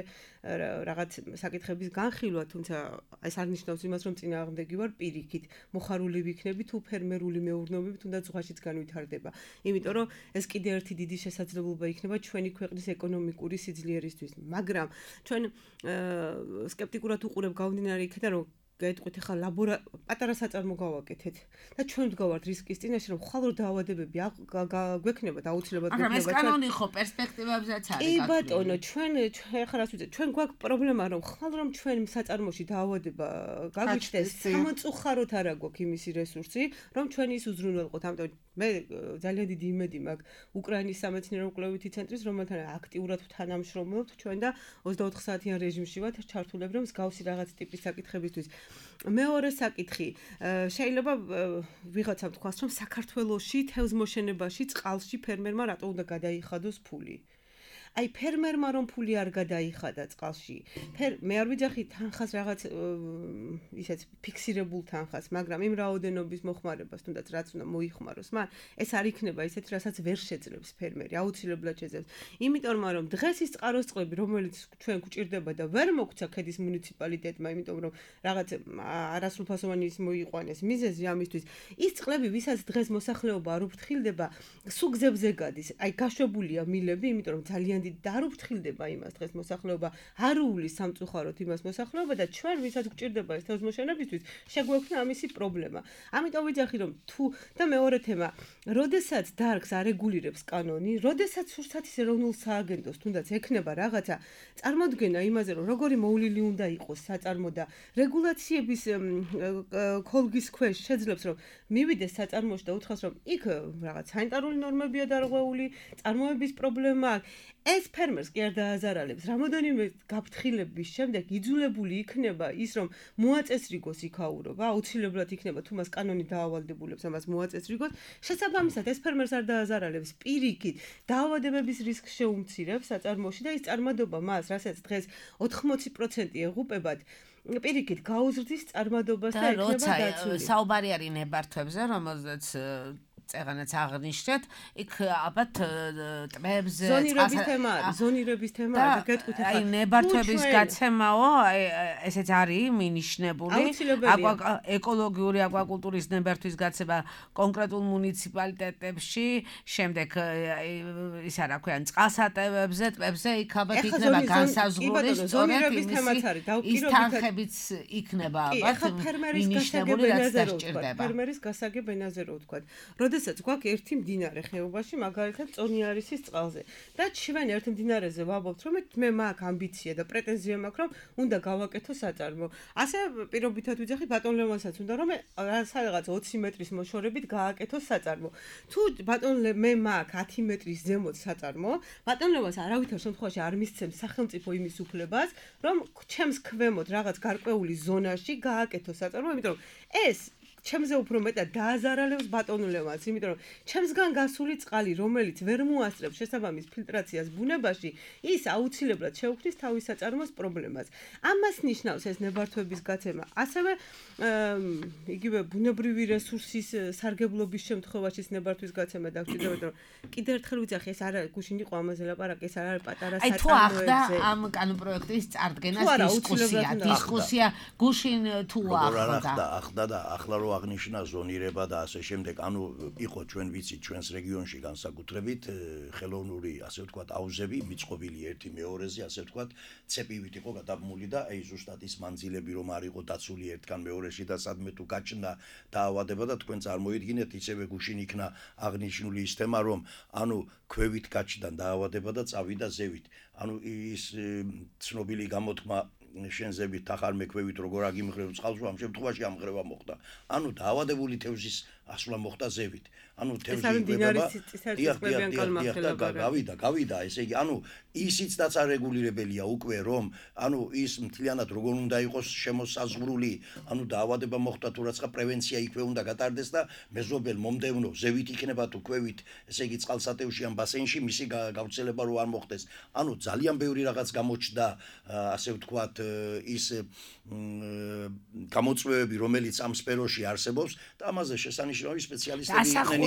რაღაც საკითხების განხილვა, თუმცა ეს არ ნიშნავს იმას, რომ წინააღმდეგი ვარ პირიქით, მოხარული ვიქნები თუ ფერმერული მეურნეობები თუნდაც ზღვაშიც განვითარდება. იმიტომ რომ ეს კიდე ერთი დიდი შესაძლებლობა იქნება ჩვენი ქვეყნის ეკონომიკური სიძლიერისთვის. მაგრამ ჩვენ სკეპტიკურად უყურებ გამომდინარე იქიდან რომ გაიტყვით ახლა პატარა საწარმო გავაკეთეთ და ჩვენ ვდგავართ რისკის წინაშე რომ ხვალ რო დაავადებები გვექნება და აუცილებლად გვექნება. მაგრამ ეს კანონი ხო პერსპექტივებზეც არის. კი ბატონო, ჩვენ ახლა რას ვიძეთ, ჩვენ გვაქვს პრობლემა რომ ხვალ რომ ჩვენ საწარმოში დაავადება გაგვიჩნდეს, სამწუხაროდ არ აქვს იმისი რესურსი, რომ ჩვენ ის უზრუნველყოთ. ამიტომ მე ძალიან დიდი იმედი მაქვს უკრაინის სამეცნიერო კვლევითი ცენტრის, რომელთან აქტიურად თანამშრომლობთ ჩვენ და 24 საათიან რეჟიმში ვართ ჩართულები, რომ მსგავსი რაღაც ტიპის საკითხებისთვის. მეორე საკითხი, შეიძლება ვიღაცამ თქვას, რომ საქართველოში თევზმოშენებაში, წყალში ფერმერმა რატო უნდა გადაიხადოს ფული. აი ფერმერმა რომ ფული არ გადაიხადა წყალში. მე არ ვიძახი თანხას რაღაც ისეთ ფიქსირებულ თანხას, მაგრამ იმ რაოდენობის მოხმარებას თუნდაც რაც უნდა მოიხმაროს, მაგრამ ეს არ იქნება ისეთ, რასაც ვერ შეძლებს ფერმერი, აუცილებლად შეძლებს. იმიტომ რომ დღეს ის წყაროს წყლები, რომელიც ჩვენ გვჭირდება და ვერ მოგვცა ქედის მუნიციპალიტეტმა, იმიტომ რომ რაღაც არასრულფასოვანი ის მოიყვანეს მიზეზი ამისთვის, ის წყლები, ვისაც დღეს მოსახლეობა არ უფრთხილდება, სუგზებზე გადის. აი გაშვებულია მილები, იმიტომ რომ ძალიან დიდი და არ უფრთხილდება იმას დღეს მოსახლეობა, არ უვლის სამწუხაროდ იმას მოსახლეობა და ჩვენ ვისაც გვჭირდება ეს თევზმოშენებისთვის, შეგვექვსნა ამისი პრობლემა. ამიტომ ვიძახი რომ თუ და მეორე თემა, როდესაც დარგს არეგულირებს კანონი, როდესაც სურსათ ის ეროვნულ სააგენტოს თუნდაც ექნება რაღაცა წარმოდგენა იმაზე, რომ როგორი მოვლილი უნდა იყოს საწარმო და რეგულაციების ქოლგის ქვეშ შეძლებს რომ მივიდეს საწარმოში და უთხრას რომ იქ რაღაც სანიტარული ნორმებია დარღვეული, წარმოების პრობლემა ეს ფერმერს კი არ დააზარალებს. რამოდენიმე გაფრთხილების შემდეგ იძულებული იქნება ის რომ მოაწესრიგოს იქაურობა, აუცილებლად იქნება თუ მას კანონი დაავალდებულებს ამას მოაწესრიგოს. შესაბამისად ეს ფერმერს არ დააზარალებს, პირიქით დაავადებების რისკს შეუმცირებს საწარმოში და ის წარმადობა მას, რასაც დღეს 80% ეღუპებათ, პირიქით გაუზრდის წარმადობას და იქნება დაცული. საუბარი არის ნებართვებზე, რომელზეც წეღანაც აღნიშნეთ, იქ ალბათ ტბებზე ზონირების თემა და გეტყვით ახლა აი ნებართვების გაცემაო, ესეც არის მინიშნებული. ეკოლოგიური აკვაკულტურის ნებართვის გაცემა კონკრეტულ მუნიციპალიტეტებში, შემდეგ ის არა ქვია, წყალსატევებზე, ტბებზე იქ ალბათ იქნება განსაზღვრული სწორედ ის თანხებიც იქნება ალბათ მინიშნებული, რაც დასჭირდება. ფერმერის გასაგებ ენაზე რო ვთქვა. როდესაც გვაქვს ერთი მდინარე ხეობაში, მაგალითად წონიარისის წყალზე და ჩვენ ერთ მდინარეზე ვაბობთ, რომ მე მაქვს ამბიცია და პრეტენზია მაქვს, რომ უნდა გავაკეთო საწარმო. ასე პირობითად ვიძახი ბატონ ლევანსაც უნდა რომ სადღაც 20 მეტრის მოშორებით გააკეთო საწარმო. თუ ბატონ მე მაქვს 10 მეტრის ზემოთ საწარმო, ბატონ ლევანს არავითარ შემთხვევაში არ მისცემს სახელმწიფო იმის უფლებას, რომ ჩემს ქვემოთ რაღაც გარკვეული ზონაში გააკეთო საწარმო, იმიტომ რომ ეს ჩემზე უფრო მეტად დააზარალებს ბატონ ლევანს, იმიტომ რომ ჩემსგან გასული წყალი, რომელიც ვერ მოასწრებს შესაბამის ფილტრაციას ბუნებაში, ის აუცილებლად შეუქმნის თავის საწარმოს პრობლემას. ამას ნიშნავს ეს ნებართვების გაცემა. ასევე იგივე ბუნებრივი რესურსის სარგებლობის შემთხვევაში ნებართვის გაცემა დაგჭირდება, რომ კიდევ ერთხელ ვიძახი, ეს არა გუშინ იყო ამაზე ლაპარაკი, ეს არ არის პატარა საწარმოებზე. აი თუ ახდა ამ კანონპროექტის წარდგენას დისკუსია გუშინ თუ ახდა და ახლა რო აღნიშნა ზონირება და ასე შემდეგ, ანუ იყო ჩვენ ვიცით ჩვენს რეგიონში განსაკუთრებით ხელოვნური, ასე ვთქვათ, აუზები მიწყობილი ერთი მეორეზე, ასე ვთქვათ, ცეპივით იყო გადაბმული და აი ზუსტად ის მანძილები რომ არ იყო დაცული ერთგან მეორეში და სადმე თუ გაჩნდა დაავადება და თქვენ წარმოიდგინეთ, ისევე გუშინ იქნა აღნიშნული ის თემა, რომ ანუ ქვევით გაჩნდა დაავადება და წავიდა ზევით. ანუ ის ცნობილი გამოთქმა შენზებით ახალ მექვევით როგორ აგიმღრევ წყალს, ამ შემთხვევაში ამღრევა მოხდა. ანუ დაავადებული თევზის ასვლა მოხდა ზევით. ანუ თევზი იკვებება. გავიდა, ესე იგი, ანუ ისიც რაც არეგულირებელია უკვე რომ, ანუ ის მთლიანად როგორ უნდა იყოს შემოსაზღვრული, ანუ დაავადება მოხდა თუ რაცა პრევენცია იქვე უნდა გატარდეს და მეზობელ მომდევნო ზევით იქნება თუ ქვევით, ესე იგი წყალსატევში ან ბასენში მისი გავრცელება რო არ მოხდეს. ანუ ძალიან ბევრი რაღაც გამოჩნდა, ასე ვთქვათ, ის გამოწვევები, რომელიც ამ სფეროში არსებობს და ამაზე შესანიშნავი სპეციალისტები იყვნენ.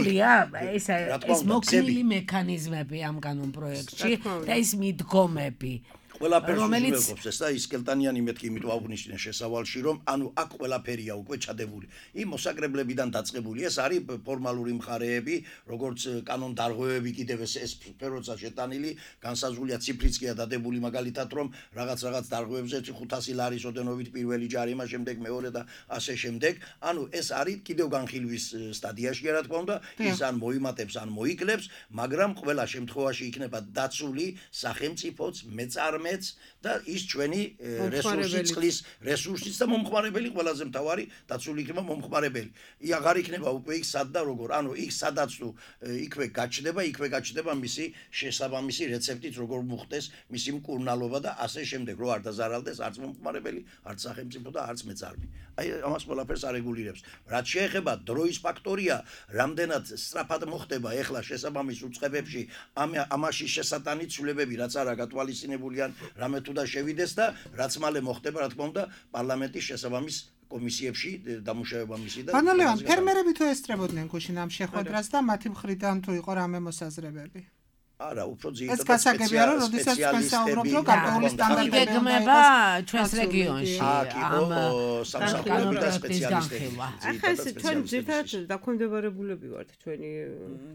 ეს მოქნილი მექანიზმები ამ კანონპროექტში და ის მიდგომები. ყველაფერს უზრუნველყოფს ეს და ის კელტანიანი მეთქი იმიტომ აღნიშნეს შესავალში რომ ანუ აქ ყველაფერია უკვე ჩადებული. იმ მოსაკრებლებიდან დაწყებული ეს არის ფორმალური მხარეები, როგორც კანონდარღვევები კიდევ ეს სფეროცა შეტანილი, განსაზღვრულია ციფრიც კი დადებული მაგალითად რომ რაღაც დარღვევებზე 500 ლარის ოდენობით პირველი ჯარიმა, შემდეგ მეორე და ასე შემდეგ. ანუ ეს არის კიდევ განხილვის სტადიაში რა თქმა უნდა, ის ან მოიმატებს ან მოიკლებს, მაგრამ ყველა შემთხვევაში იქნება დაცული სახელმწიფოც, მეწარმე მეც და ის ჩვენი რესურსი, წყლის რესურსიც და მომხმარებელი ყველაზე მთავარი დაცული იქნება მომხმარებელი. აღარ იქნება უკვე იქ სად და როგორ. ანუ იქ სადაც თუ იქვე გაჩნდება მისი შესაბამისი რეცეპტით როგორ მოხდეს მისი მკურნალობა და ასე შემდეგ, რომ არ დაზარალდეს არც მომხმარებელი, არც სახელმწიფო და არც მეწარმე. აი ამას ყველაფერს არეგულირებს. რაც შეეხება დროის ფაქტორია, რამდენად სწრაფად მოხდება ეხლა შესაბამის უწყებებში ამაში შესატანი ცვლილებები, რაც არა გათვალისწინებული ან რამე თუ და შევიდეს და რაც მალე მოხდება, რა თქმა უნდა, პარლამენტის შესაბამის კომისიებში დამუშავება მისი და ბანალევან ფერმერები თუ ესწრებოდნენ გუშინ ამ შეხვედრას და მათი მხრიდან თუ იყო რამე მოსაზრებები? არა, უფრო ძირითადად ეს გასაგებია, რომ როდესაც თქვენ საუბრობთ, რომ გარკვეული სტანდარტები გეგმება ჩვენს რეგიონში ამ სამსახურები და სპეციალისტები. ახლა ეს ჩვენ ძირითადად დაქვემდებარებულები ვართ, ჩვენი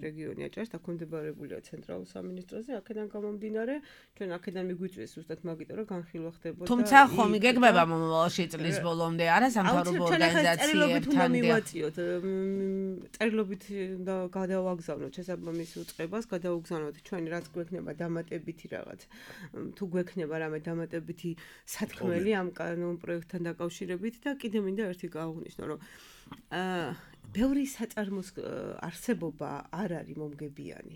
რეგიონი აჭარის დაქვემდებარებულია ცენტრალურ სამინისტროზე, აქედან გამომდინარე, ჩვენ აქედან მიგვიწვიეს ზუსტად მაგიტო, რომ განხილვა ხდებოდა. თუმცა ხომ იგეგმება მომავალში წლის ბოლომდე არა სამთავრობო ორგანიზაციებთან მივაწიოთ, წერილობით და გადავაგზავნოთ შესაბამის უწყებას, გადავაგზავნოთ ჩვენი რაც გვექნება დამატებითი რაღაც თუ გვექნება რამე დამატებითი სათქმელი ამ კანონ პროექტთან დაკავშირებით და კიდე მინდა ერთი გავუღვნიშნო რომ ბევრი საწარმოს არსებობა არ არის მომგებიანი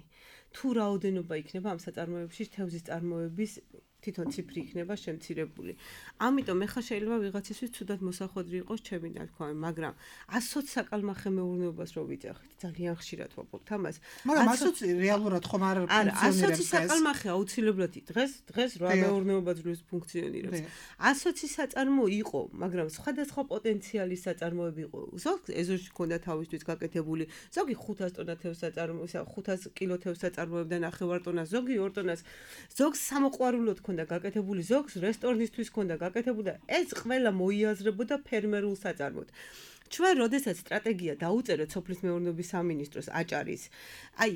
თუ რაოდენობა იქნება ამ საწარმოებში თევზის წარმოების თვითონ ციფრი იქნება შემცირებული. ამიტომ ეხლა შეიძლება ვიღაცისთვის ცუდად მოსახვედრი იყოს ჩემი ნათქვამი, მაგრამ 120 საკალმახე მეურნეობას რო ვიძახით, ძალიან ხშირად ვაპობთ ამას. მაგრამ 120 რეალურად ხომ არ ფუნქციონირებს ეს? 120 საკალმახე აუცილებლად დღეს რა მეურნეობა ძვლის ფუნქციონირებს. 120 საწარმო იყო, მაგრამ სხვადასხვა პოტენციალის საწარმოები იყო. ზოგი ეზოში ქონდა თავისთვის გაკეთებული, ზოგი 500 ტონა თევზს საწარმო, 500 კილო თევზს საწარმოებდა 9 ტონას, ზოგი 2 ტონას, ზოგს სამოყვარულოდ და გაკეთებული ზოგს რესტორნისთვის ქონდა გაკეთებული და ეს ყველა მოიაზრებოდა ფერმერულ საწარმოდ. ჩვენ როდესაც სტრატეგია დაუწერეთ სოფლის მეურნეობის სამინისტროს აჭარის, აი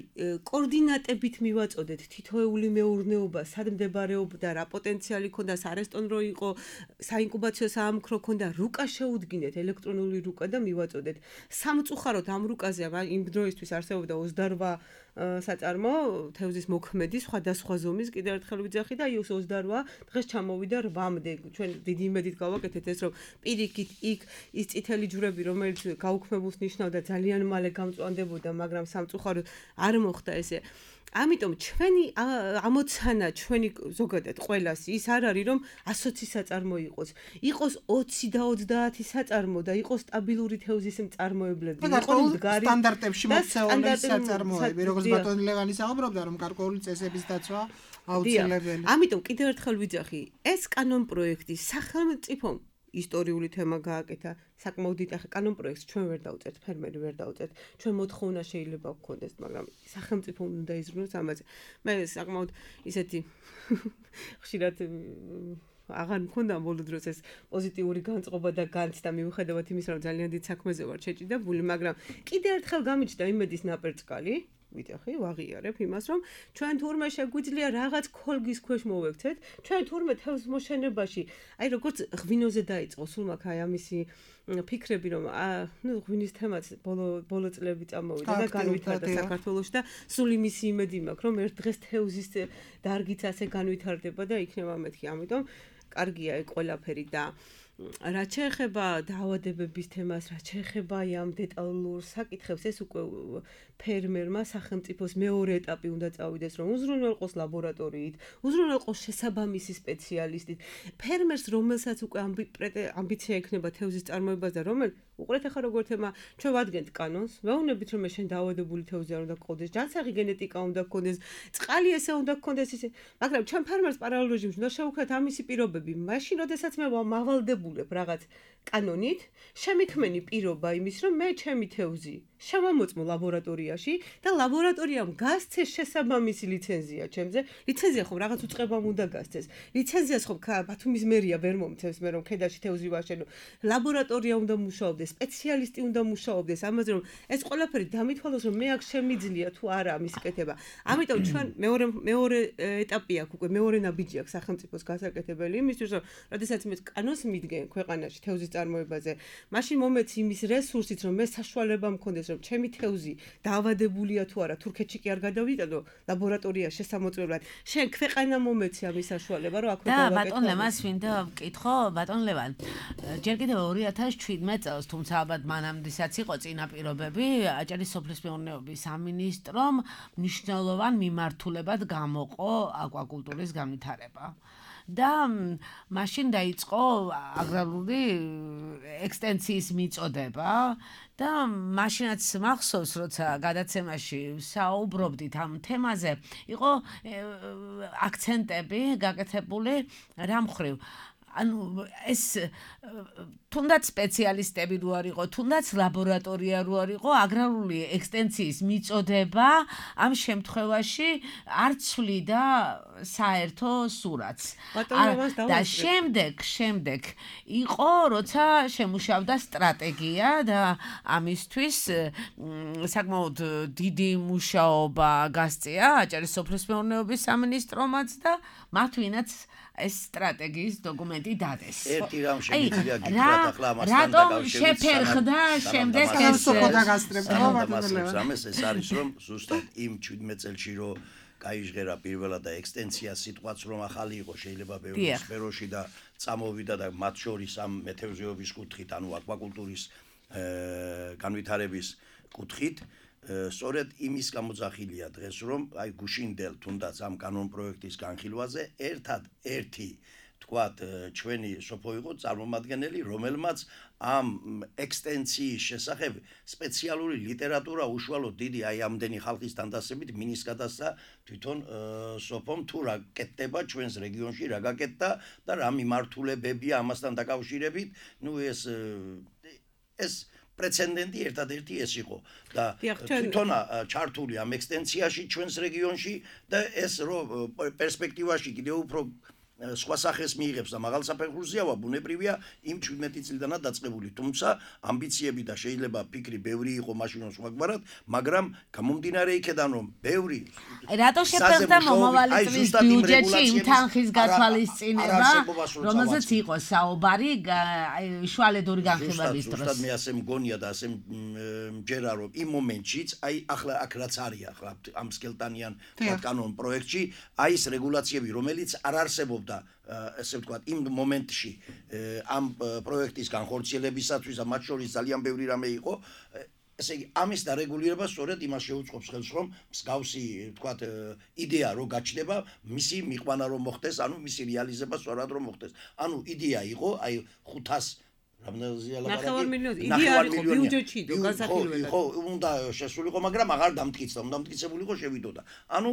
კოორდინატებით მივაწოდეთ თითოეული მეურნეობა, სად მდებარეობდა, რა პოტენციალი ქონდა, სარესტორნო იყო, საინკუბაციო საამქრო ქონდა, რუკა შეუდგინეთ, ელექტრონული რუკა და მივაწოდეთ. სამწუხაროდ ამ რუკაზე იმ დროისთვის არსებობდა 28 საწარმო თევზის მოქმედი სხვადასხვა ზომის კიდევ ერთხელ ვიძახი და ის 28 დღეს ჩამოვიდა 8-მდე. ჩვენ დიდი იმედით გავაკეთეთ ეს რომ პირიქით იქ ის წითელი ჯვრები რომელიც გაუქმებულს ნიშნავდა ძალიან მალე გამწვანდებოდა, მაგრამ სამწუხაროდ არ მოხდა ესე. ამიტომ ჩვენი ამოცანა ჩვენი ზოგადად ყველას ის არ არის რომ 120 საწარმო იყოს 20 და 30 საწარმო და იყოს სტაბილური თევზის მწარმოებლები, იყოს მდგარი სტანდარტებში მოქცეული საწარმოები, როგორც ბატონი ლევანი საუბრობდა რომ გარკვეული წესების დაცვა აუცილებელი. ამიტომ კიდევ ერთხელ ვიძახი, ეს კანონ პროექტი სახელმწიფომ ისტორიული თემა გააკეთა, საკმაოდ დიდ კანონ პროექტს ჩვენ ვერ დავწერთ, ფერმერი ვერ დავწერთ. ჩვენ მოთხოვნა შეიძლება გქონდეს, მაგრამ სახელმწიფო უნდა იზრუნოს ამაზე. მე საკმაოდ ისეთი ხშირად აღარ მქონდა ბოლო დროს ეს პოზიტიური განწყობა და განცდა მიუხედავად იმისა, რომ ძალიან დიდ საქმეზე ვარ შეჭიდებული, მაგრამ კიდევ ერთხელ გამიჩნდა იმედის ნაპერწკალი. ვიტახი, ვაღიარებ იმას, რომ ჩვენ თურმე შეგვიძლია რაღაც ქოლგის ქვეშ მოვექცეთ, ჩვენ თურმე თევზ მოშენებაში, აი როგორც ღვინოზე დაიწყო, სულ მაგ აი ამისი ფიქრები, რომ ღვინის თემაც ბოლო წლები წამოვიდა და განვითარდა საქართველოში და სულ იმისი იმედი მაქვს, რომ ერთ დღეს თევზის დარგიც ასე განვითარდება და იქნება მეთქი, ამიტომ კარგია ეგ ყველაფერი და რაც შეეხება დაავადებების თემას, რაც შეეხება ამ დეტალურ საკითხებს, ეს უკვე ფერმერმა სახელმწიფოს მეორე ეტაპი უნდა წავიდეს, რომ უზრუნველყოს ლაბორატორიით, უზრუნველყოს შესაბამისი სპეციალისტით. ფერმერს, რომელსაც უკვე ამბიცია ექნება თევზის წარმოებას და უყურეთ ახლა როგორ თემა, ჩვენ ვადგენთ კანონს, ვეუბნებით რომ შენ დაავადებული თევზი არ უნდა გყოდეს, ჯანსაღი გენეტიკა უნდა გქონდეს, წყალი ესე უნდა გქონდეს ისე, მაგრამ ჩვენ ფერმერს პარალელ რეჟიმში უნდა შევუქმნათ ამისი პირობები. მაშინ, როდესაც მე მავალდებულებ რაღაც კანონით, შემიქმენი პირობა იმის, რომ მე ჩემი თევზი შემომოწმო ლაბორატორიაში და ლაბორატორიამ გასცეს შესაბამისი ლიცენზია ჩემზე. ლიცენზია ხომ რაღაც უწყებამ უნდა გასცეს. ლიცენზიას ხომ ბათუმის მერია ვერ მომცემს მე რომ ქედაში თევზი ვაშენო. ლაბორატორია უნდა მუშაობდეს, სპეციალისტი უნდა მუშაობდეს, ამაზე რომ ეს ყველაფერი დამithვალოს რომ მე აქ შემიძლია თუ არა ამის კეთება. ამიტომ ჩვენ მეორე ეტაპი აქვს უკვე მეორე ნაბიჯი აქვს სახელმწიფოს გასაკეთებელი იმისთვის რომ როდესაც მე კანონს მიდგენ ქვეყანაში თევზის წარმოებაზე, მაშინ მომეც იმის რესურსით რომ მე საშუალება მქონდეს რომ ჩემი თევზი დაავადებულია თუ არა, თურქეთში კი არ გადავიტანო ლაბორატორიაში შესამოწმებლად. შენ ქვეყანა მომეცი ამის საშუალება, რომ აქვე და ბატონ ლევანს მინდა ვკითხო, ბატონ ლევან, ჯერ კიდევ 2017 წელს, თუმცა ალბათ მანამდესაც იყო წინაპირობები, აჭარის სოფლის მეურნეობის სამინისტრომ მნიშვნელოვან მიმართულებად გამოყო აკვაკულტურის განვითარება. და მაშინ დაიწყო აგრარული ექსტენციის მიწოდება და მაშინაც მახსოვს, როცა გადაცემაში საუბრობდით ამ თემაზე, იყო აქცენტები გაკეთებული რა მხრივ. ანუ ეს თუნდაც სპეციალისტები რო არ იყო, თუნდაც ლაბორატორია რო არ იყო, აგრარული ექსტენციის მიწოდება ამ შემთხვევაში არ ცვლიდა საერთო სურათს. და შემდეგ იყო, როცა შემუშავდა სტრატეგია და ამისთვის საკმაოდ დიდი მუშაობა გასწია აჭარის სოფლის მეურნეობის სამინისტრომაც და მათ ვინაც ეს სტრატეგიის დოკუმენტი დადეს. ერთი რამ შემიძლია გითხრათ ახლა ამასთან რატომ შეფერხდა შემდეგ ეს რამეს ეს არის რომ ზუსტად იმ 17 წელში რომ გაიჟღერა პირველად და ექსტენცია სიტყვაც რომ ახალი იყო შეიძლება ბევრი სფეროში და წამოვიდა და მათ შორის ამ მეთევზეობის კუთხით, ანუ აკვაკულტურის განვითარების კუთხით სწორედ იმის გამოძახილია დღეს რომ აი გუშინდელ თუნდაც ამ კანონპროექტის განხილვაზე ერთადერთი თქვათ ჩვენი სოფო იყო წარმომადგენელი რომელმაც ამ ექსტენციის შესახებ სპეციალური ლიტერატურა უშუალოდ დიდი აი ამდენი ხალხის თანდასებით მინის გადასცა თვითონ სოფომ თუ რა კეთდება ჩვენს რეგიონში რა გაკეთდა და რა მიმართულებებია ამასთან დაკავშირებით ნუ ეს პრეცედენტი ერთადერთი ეს იყო და თვითონ ჩართული ამ ექსტენციაში ჩვენს რეგიონში და ეს რომ პერსპექტივაში კიდევ უფრო სხვა სახეს მიიღებს და მაღალ საფეხურზეა ბუნებრივია იმ 17 წლიდანაც დაწყებული თუმცა ამბიციები და შეიძლება ფიქრი ბევრი იყო მაშინ სხვაგვარად მაგრამ გამომდინარე იქედან რომ ბევრი რატო შეფერხდა მომავალი წლის ბიუჯეტში იმ თანხის გათვალისწინება რომელზეც იყო საუბარი შუალედური განხილვების დროს ზუსტად მე ასე მგონია და ასე მჯერა რომ იმ მომენტშიც აი ახლა აქ რაც არის ახლა ამ სკელტანიან კანონ პროექტში აი ეს რეგულაციები რომელიც არ არსებობდა ესე ვთქვათ იმ მომენტში ამ პროექტის განხორციელებისათვის და მათ შორის ძალიან ბევრი რამე იყო ესე იგი ამის დარეგულირება სწორედ იმას შეუწყობს ხელს რომ მსგავსი ვთქვათ იდეა რო გაჩნდება მისი მიყვანა რომ მოხდეს ანუ მისი რეალიზება სწორად რომ მოხდეს ანუ იდეა იყო აი 500 რამდენზეა ლაპარაკი 9 მილიონი იდეა იყო ბიუჯეტში და განსახილველად ხო უნდა შესულიყო მაგრამ აღარ დამტკიცდა უნდა დამტკიცებულიყო შევიდოდა ანუ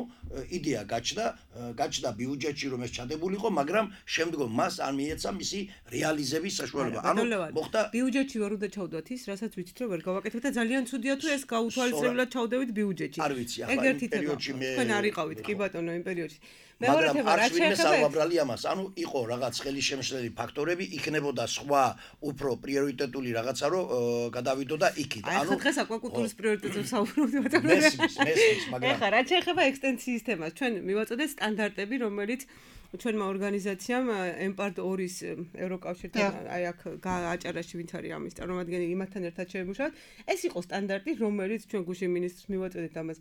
იდეა გაჩნდა ბიუჯეტში რომ ეს ჩადებულიყო მაგრამ შემდგომ მას არ მიეცა მისი რეალიზების საშუალება ანუ მოხდა ბიუჯეტში ვერ უნდა ჩავდოთ ის რასაც ვიცით რომ ვერ გავაკეთებთ და ძალიან ცუდია თუ ეს გაუთვალისწინებლად ჩავდებით ბიუჯეტში არ ვიცი ახლა იმ პერიოდში მე თქვენ არ იყავით კი ბატონო იმ პერიოდში მაგრამ არ შეეხება ამას ანუ იყო რაღაც ხელისშემშლელი ფაქტორები იქნებოდა სხვა უფრო პრიორიტეტული რაღაცა რომ გადავიდოდა იქით ანუ დღეს აკვაკულტურის პრიორიტეტზე საუბრობთ ბატონო მესმის მაგრამ ეხლა რაც შეეხება ექსტენციის თემას ჩვენ მივაწოდეთ სტანდარტები რომელიც ჩვენმა ორგანიზაციამ ემპარტ 2-ის ევროკავშირთან აი აქ აჭარაში ვინც არის ამის წარმომადგენელი იმათთან ერთად შევიმუშავეთ ეს იყო სტანდარტი რომელიც ჩვენ გუშინ მინისტრს მივაწოდეთ ამას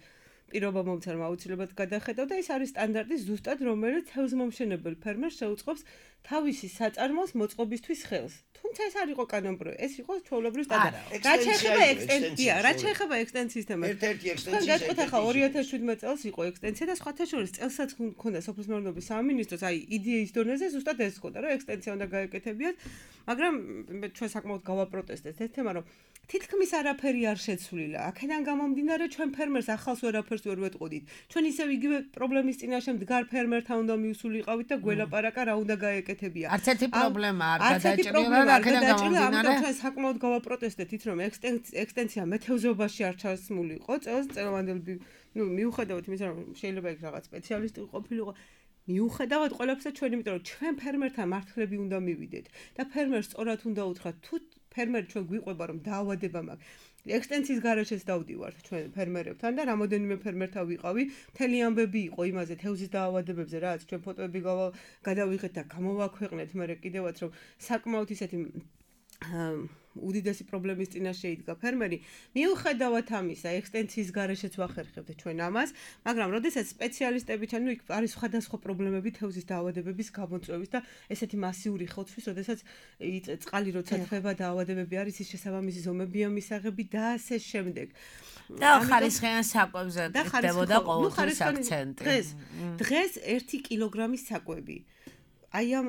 პირობა მომცემ აუცილებლად გადახედავ და ეს არის სტანდარტი ზუსტად რომელიც თევზმომშენებელ ფერმერს შეუწყობს თავისი საწარმოს მოწყობისთვის ხელს. თუმცა ეს არ იყო კანონპროექტი, ეს იყო ჩვეულებრივი სტანდარტი. რაც შეეხება ექსტენცია, რაც შეეხება ექსტენციის თემას. ერთ-ერთი ექსტენცია. გეტყვით ახლა 2017 წელს იყო ექსტენცია და სხვათა შორის წელსაც მქონდა სოფლის მეურნეობის სამინისტროს აი იდეის დონეზე ზუსტად ეს ხოდა რომ ექსტენცია უნდა გაეკეთებიათ, მაგრამ ჩვენ საკმაოდ გავაპროტესტეთ ეს თემა რომ თითქმის არაფერი არ შეცვლილა. აქედან გამომდინარე ჩვენ ფერმერს ახალს ვერაფერს ვერ ვეტყოდით. ჩვენ ისევ იგივე პრობლემის წინაშე მდგარ ფერმერთან უნდა მივსულიყავით და გველაპარაკა რა უნდა გაეკეთებია. არც ერთი პრობლემა არ გადაჭრილა და აქედან გამომდინარე ჩვენ საკმაოდ გავაპროტესტეთ ის რომ ექსტენცია მეთევზეობაში არ ჩასმულიყო. წელვანდელი მიუხედავად იმისა რომ შეიძლება იქ რაღაც სპეციალისტი ყოფილიყო მიუხედავად ყველაფერსა ჩვენ იმიტომ რომ ჩვენ ფერმერთან მართლები უნდა მივიდეთ და ფერმერს სწორად უნდა უთხრათ თუ ფერმერი ჩვენ გვიყვება რომ დაავადება მაქვს ექსტენციის გარეშეც დავდივართ ჩვენ ფერმერებთან და რამოდენიმე ფერმერთან ვიყავი მთელი ამბები იყო იმაზე თევზის დაავადებებზე რაც ჩვენ ფოტოები გადავიღეთ და გამოვაქვეყნეთ მე კიდევაც რომ საკმაოდ ისეთი უდიდესი პრობლემის წინაშე იდგა ფერმერი. მიუხედავად ამისა, ექსტენსიის გარეშეც ვახერხებთ ჩვენ ამას, მაგრამ როდესაც სპეციალისტები ჩანო იქ არის სხვადასხვა პრობლემები თევზის დაავადების გამოწვევის და ესეთი მასიური ხოცვის, როდესაც წყალი როცა თხება დაავადებები არის, ის შესაბამისი ზომებია მისაღები და ასე შემდეგ. და ხარისხიან საკვებზე ხდებოდა ყოველთვის აქცენტი. დღეს 1 კილოგრამის საკვები. აი ამ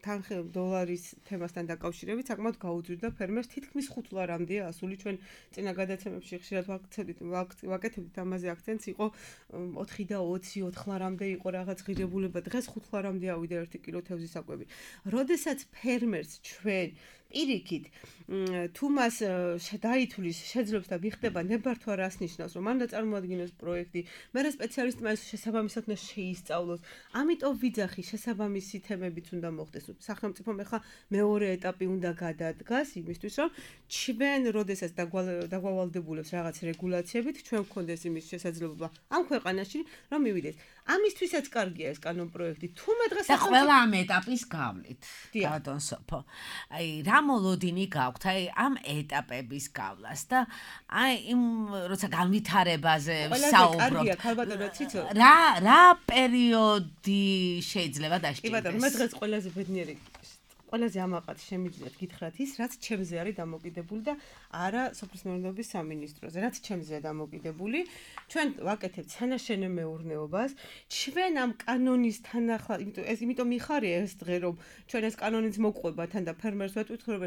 $10 თემასთან დაკავშირებით საკმაოდ გაუძვირდა ფერმერს თითქმის $5-მდეა ასული ჩვენ წინა გადაცემებში ხშირად ვაკეთებდით ამაზე აქცენტს იყო 4 და 20 $4-მდე იყო რაღაც ღირებულება დღეს $5-მდე ავიდა 1 კილო თევზის საკვები. როდესაც ფერმერს ჩვენ პირიქით თუ მას დაითulis შეძლებს და მიხდება ნებართვა რას ნიშნავს რომ მან წარმოადგინოს პროექტი მე რა სპეციალისტმა ეს შესაბამისად უნდა შეისწავლოს ამიტომ ვიძახი შესაბამისი თემებიც უნდა მოხდეს სახელმწიფომ ახლა მეორე ეტაპი უნდა გადადგას იმისთვის რომ ჩვენ როდესაც დაგვავალდებულებს რაღაც რეგულაციებით ჩვენ გვქონდეს იმის შესაძლებლობა ამ ქვეყანაში რომ მივიდეს ამისთვისაც კარგია ეს კანონპროექტი თუმცა დღეს და ყველა ამ ეტაპის გავლით ბატონ სოფო აი რა მოლოდინი გაქვთ აი ამ ეტაპების გავლას და აი იმ როცა განვითარებაზე საუბრობთ რა პერიოდი შეიძლება დაშჭირდეს კი ბატონო მე დღეს ყველაზე ბედნიერი ყველაზე ამაყად შემიძლიათ გითხრათ ის რაც ჩემზე არის დამოკიდებული და არა სოფლის მეურნეობის სამინისტროზე რაც ჩემზეა დამოკიდებული ჩვენ ვაკეთებთ სანაშენე მეურნეობას ჩვენ ამ კანონის თანახმად იმიტომ მიხარია ეს დღე რომ ჩვენ ეს კანონიც მოყვება თან და ფერმერს ვეტყვით რომ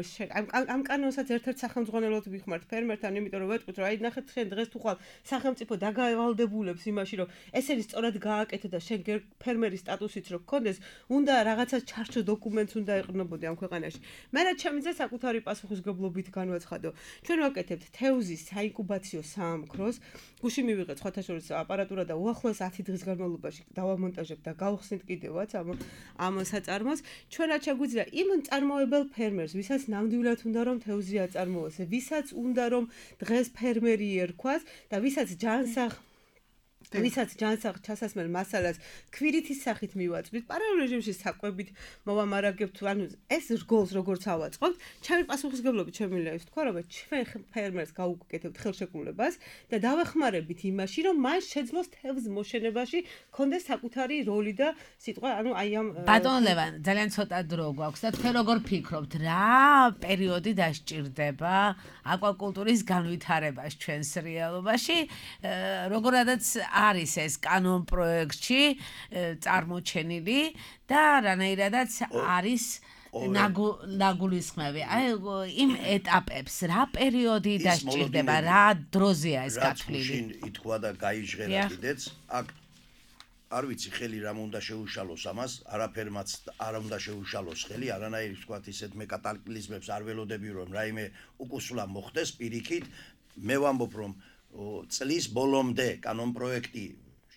ამ კანონსაც ერთ-ერთ სახელმძღვანელოდ ვიხმართ ფერმერთან იმიტომ რომ ვეტყვით რომ აი ნახეთ შენ დღეს თუ ხვალ სახელმწიფო დაგავალდებულებს იმაში რომ ესენი სწორად გააკეთე და შენ ფერმერის სტატუსიც რო გქონდეს უნდა რაღაცა ჩარჩო დოკუმენტს უნდა ეყრდნობოდი ამ ქვეყანაში. მე რაც ჩემზე საკუთარი პასუხისგებლობით განვაცხადო. ჩვენ ვაკეთებთ თევზის საინკუბაციო საამქროს, გუში მივიღეთ სხვათა შორის აპარატურა და უახლოეს 10 დღის განმავლობაში დავამონტაჟებთ და გავხსნით კიდევაც ამ საწარმოს. ჩვენ რაც შეგვიძლია იმ მწარმოებელ ფერმერს, ვისაც ნამდვილად უნდა რომ თევზი აწარმოოს, ვისაც უნდა რომ დღეს ფერმერი ერქვას და ვისაც ვისაც ჯანსაღ ჩასასმელ მასალას ქვირითის სახით მივაწვდით, პარალელ რეჟიმში საკვებით მოვამარაგებთ, ანუ ეს რგოლს როგორც ავაწყობთ, ჩემი პასუხისგებლობით შემიძლია ის თქვა, რომ ჩვენ ფერმერს გავუკეთებთ ხელშეკრულებას და დავეხმარებით იმაში, რომ მან შეძლოს თევზ მოშენებაში კონდეს საკუთარი როლი და სიტყვა, ანუ აი ამ ბატონ ლევან, ძალიან ცოტა დრო გვაქვს და თქვენ როგორ ფიქრობთ, რა პერიოდი დასჭირდება აკვაკულტურის განვითარებას ჩვენს რეალობაში, როგორადაც არის ეს კანონ პროექტში წარმოჩენილი და რანაირადაც არის ნაგულისხმები. აი იმ ეტაპებს რა პერიოდი დასჭირდება, რა დროზეა ეს გათვლილი? ითქვა და გაიჟღერა კიდეც აქ არ ვიცი ხელი რამ უნდა შეუშალოს ამას, არაფერმაც არ უნდა შეუშალოს ხელი, არანაირი ვთქვათ ისეთ მე კატაკლიზმებს არ ველოდები რომ რაიმე უკუსვლა მოხდეს პირიქით, მე ვამბობ რომ წლის ბოლომდე კანონპროექტი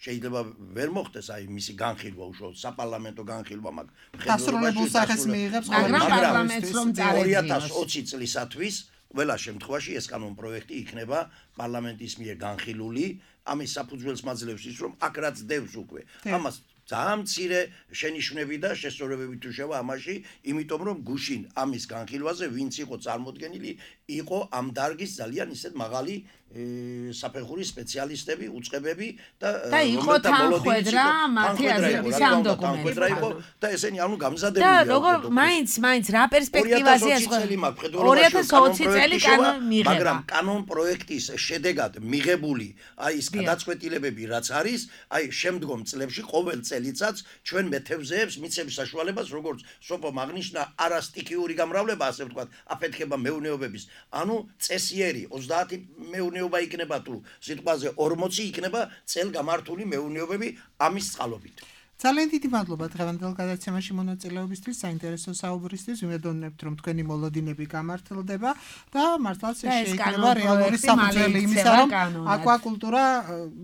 შეიძლება ვერ მოხდეს აი მისი განხილვა უშუალოდ საპარლამენტო განხილვა მაგ დასრულებულ სახეს მიიღებს მაგრამ პარლამენტს რომ წარედგინოს 2020 წლისათვის ყველა შემთხვევაში ეს კანონპროექტი იქნება პარლამენტის მიერ განხილული ამის საფუძველს მაძლევს ის რომ აქ რაც დევს უკვე ამას ძალიან მცირე შენიშვნები და შესწორებები თუ შევა ამაში იმიტომ რომ გუშინ ამის განხილვაზე ვინც იყო წარმოდგენილი იყო ამ დარგის ძალიან ისეთ მაღალი საფეხურის სპეციალისტები, უწყებები და იყო თანხმედრა მათი აზრების ამ დოკუმენტში და ესენი ანუ გამზადებულია. და როგორ მაინც რა პერსპექტივაზეა 2020 წელი კანონ მიიღება. მაგრამ კანონ პროექტის შედეგად მიღებული აი ეს გადაწყვეტილებები რაც არის, აი შემდგომ წლებში ყოველ წელიწადს ჩვენ მეთევზეებს მიცემს საშუალებას როგორც სოფო აღნიშნა არასტიქიური გამრავლება ასე ვთქვათ, აფეთქება მეურნეობების, ანუ წესიერი 30 მეურნეობა იქნება თუ სიტყვაზე 40 იქნება წელგამართული მეურნეობები ამის წყალობით. ძალიან დიდი მადლობა დღევანდელ გადაცემაში მონაწილეობისთვის, საინტერესო საუბრისთვის. ვიმედოვნებთ, რომ თქვენი მოლოდინები გამართლდება და მართლაც შეიძლება რეალური საფუძველი იმისა, რომ აკვაკულტურა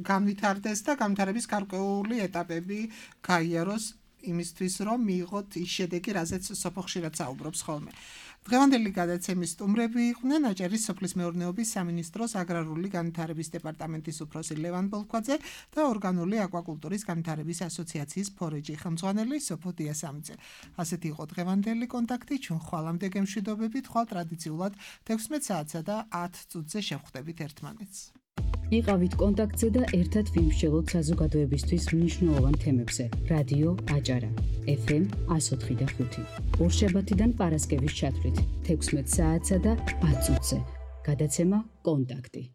განვითარდეს და განვითარების გარკვეული ეტაპები გაიაროს იმისთვის, რომ მიიღოთ ის შედეგი, რაზეც სოფო ხშირად საუბრობს ხოლმე. დღევანდელი გადაცემის სტუმრები იყვნენ აჭარის სოფლის მეურნეობის სამინისტროს აგრარული განვითარების დეპარტამენტის უფროსი ლევან ბოლქვაძე და ორგანული აკვაკულტურის განვითარების ასოციაციის ფორეჯი ხელმძღვანელი სოფო დიასამიძე. ასეთი იყო დღევანდელი კონტაქტი. ჩვენ ხვალამდე გემშვიდობებით, ხვალ ტრადიციულად 16 საათსა და 10 წუთზე შევხვდებით ერთმანეთს. იყავით კონტაქტზე და ერთად ვიმსჯელოთ საზოგადოებისთვის მნიშვნელოვან თემებზე. რადიო აჭარა FM 104.5. ორშაბათიდან პარასკევის ჩათვლით 16 საათსა და 10 წუთზე. გადაცემა კონტაქტი.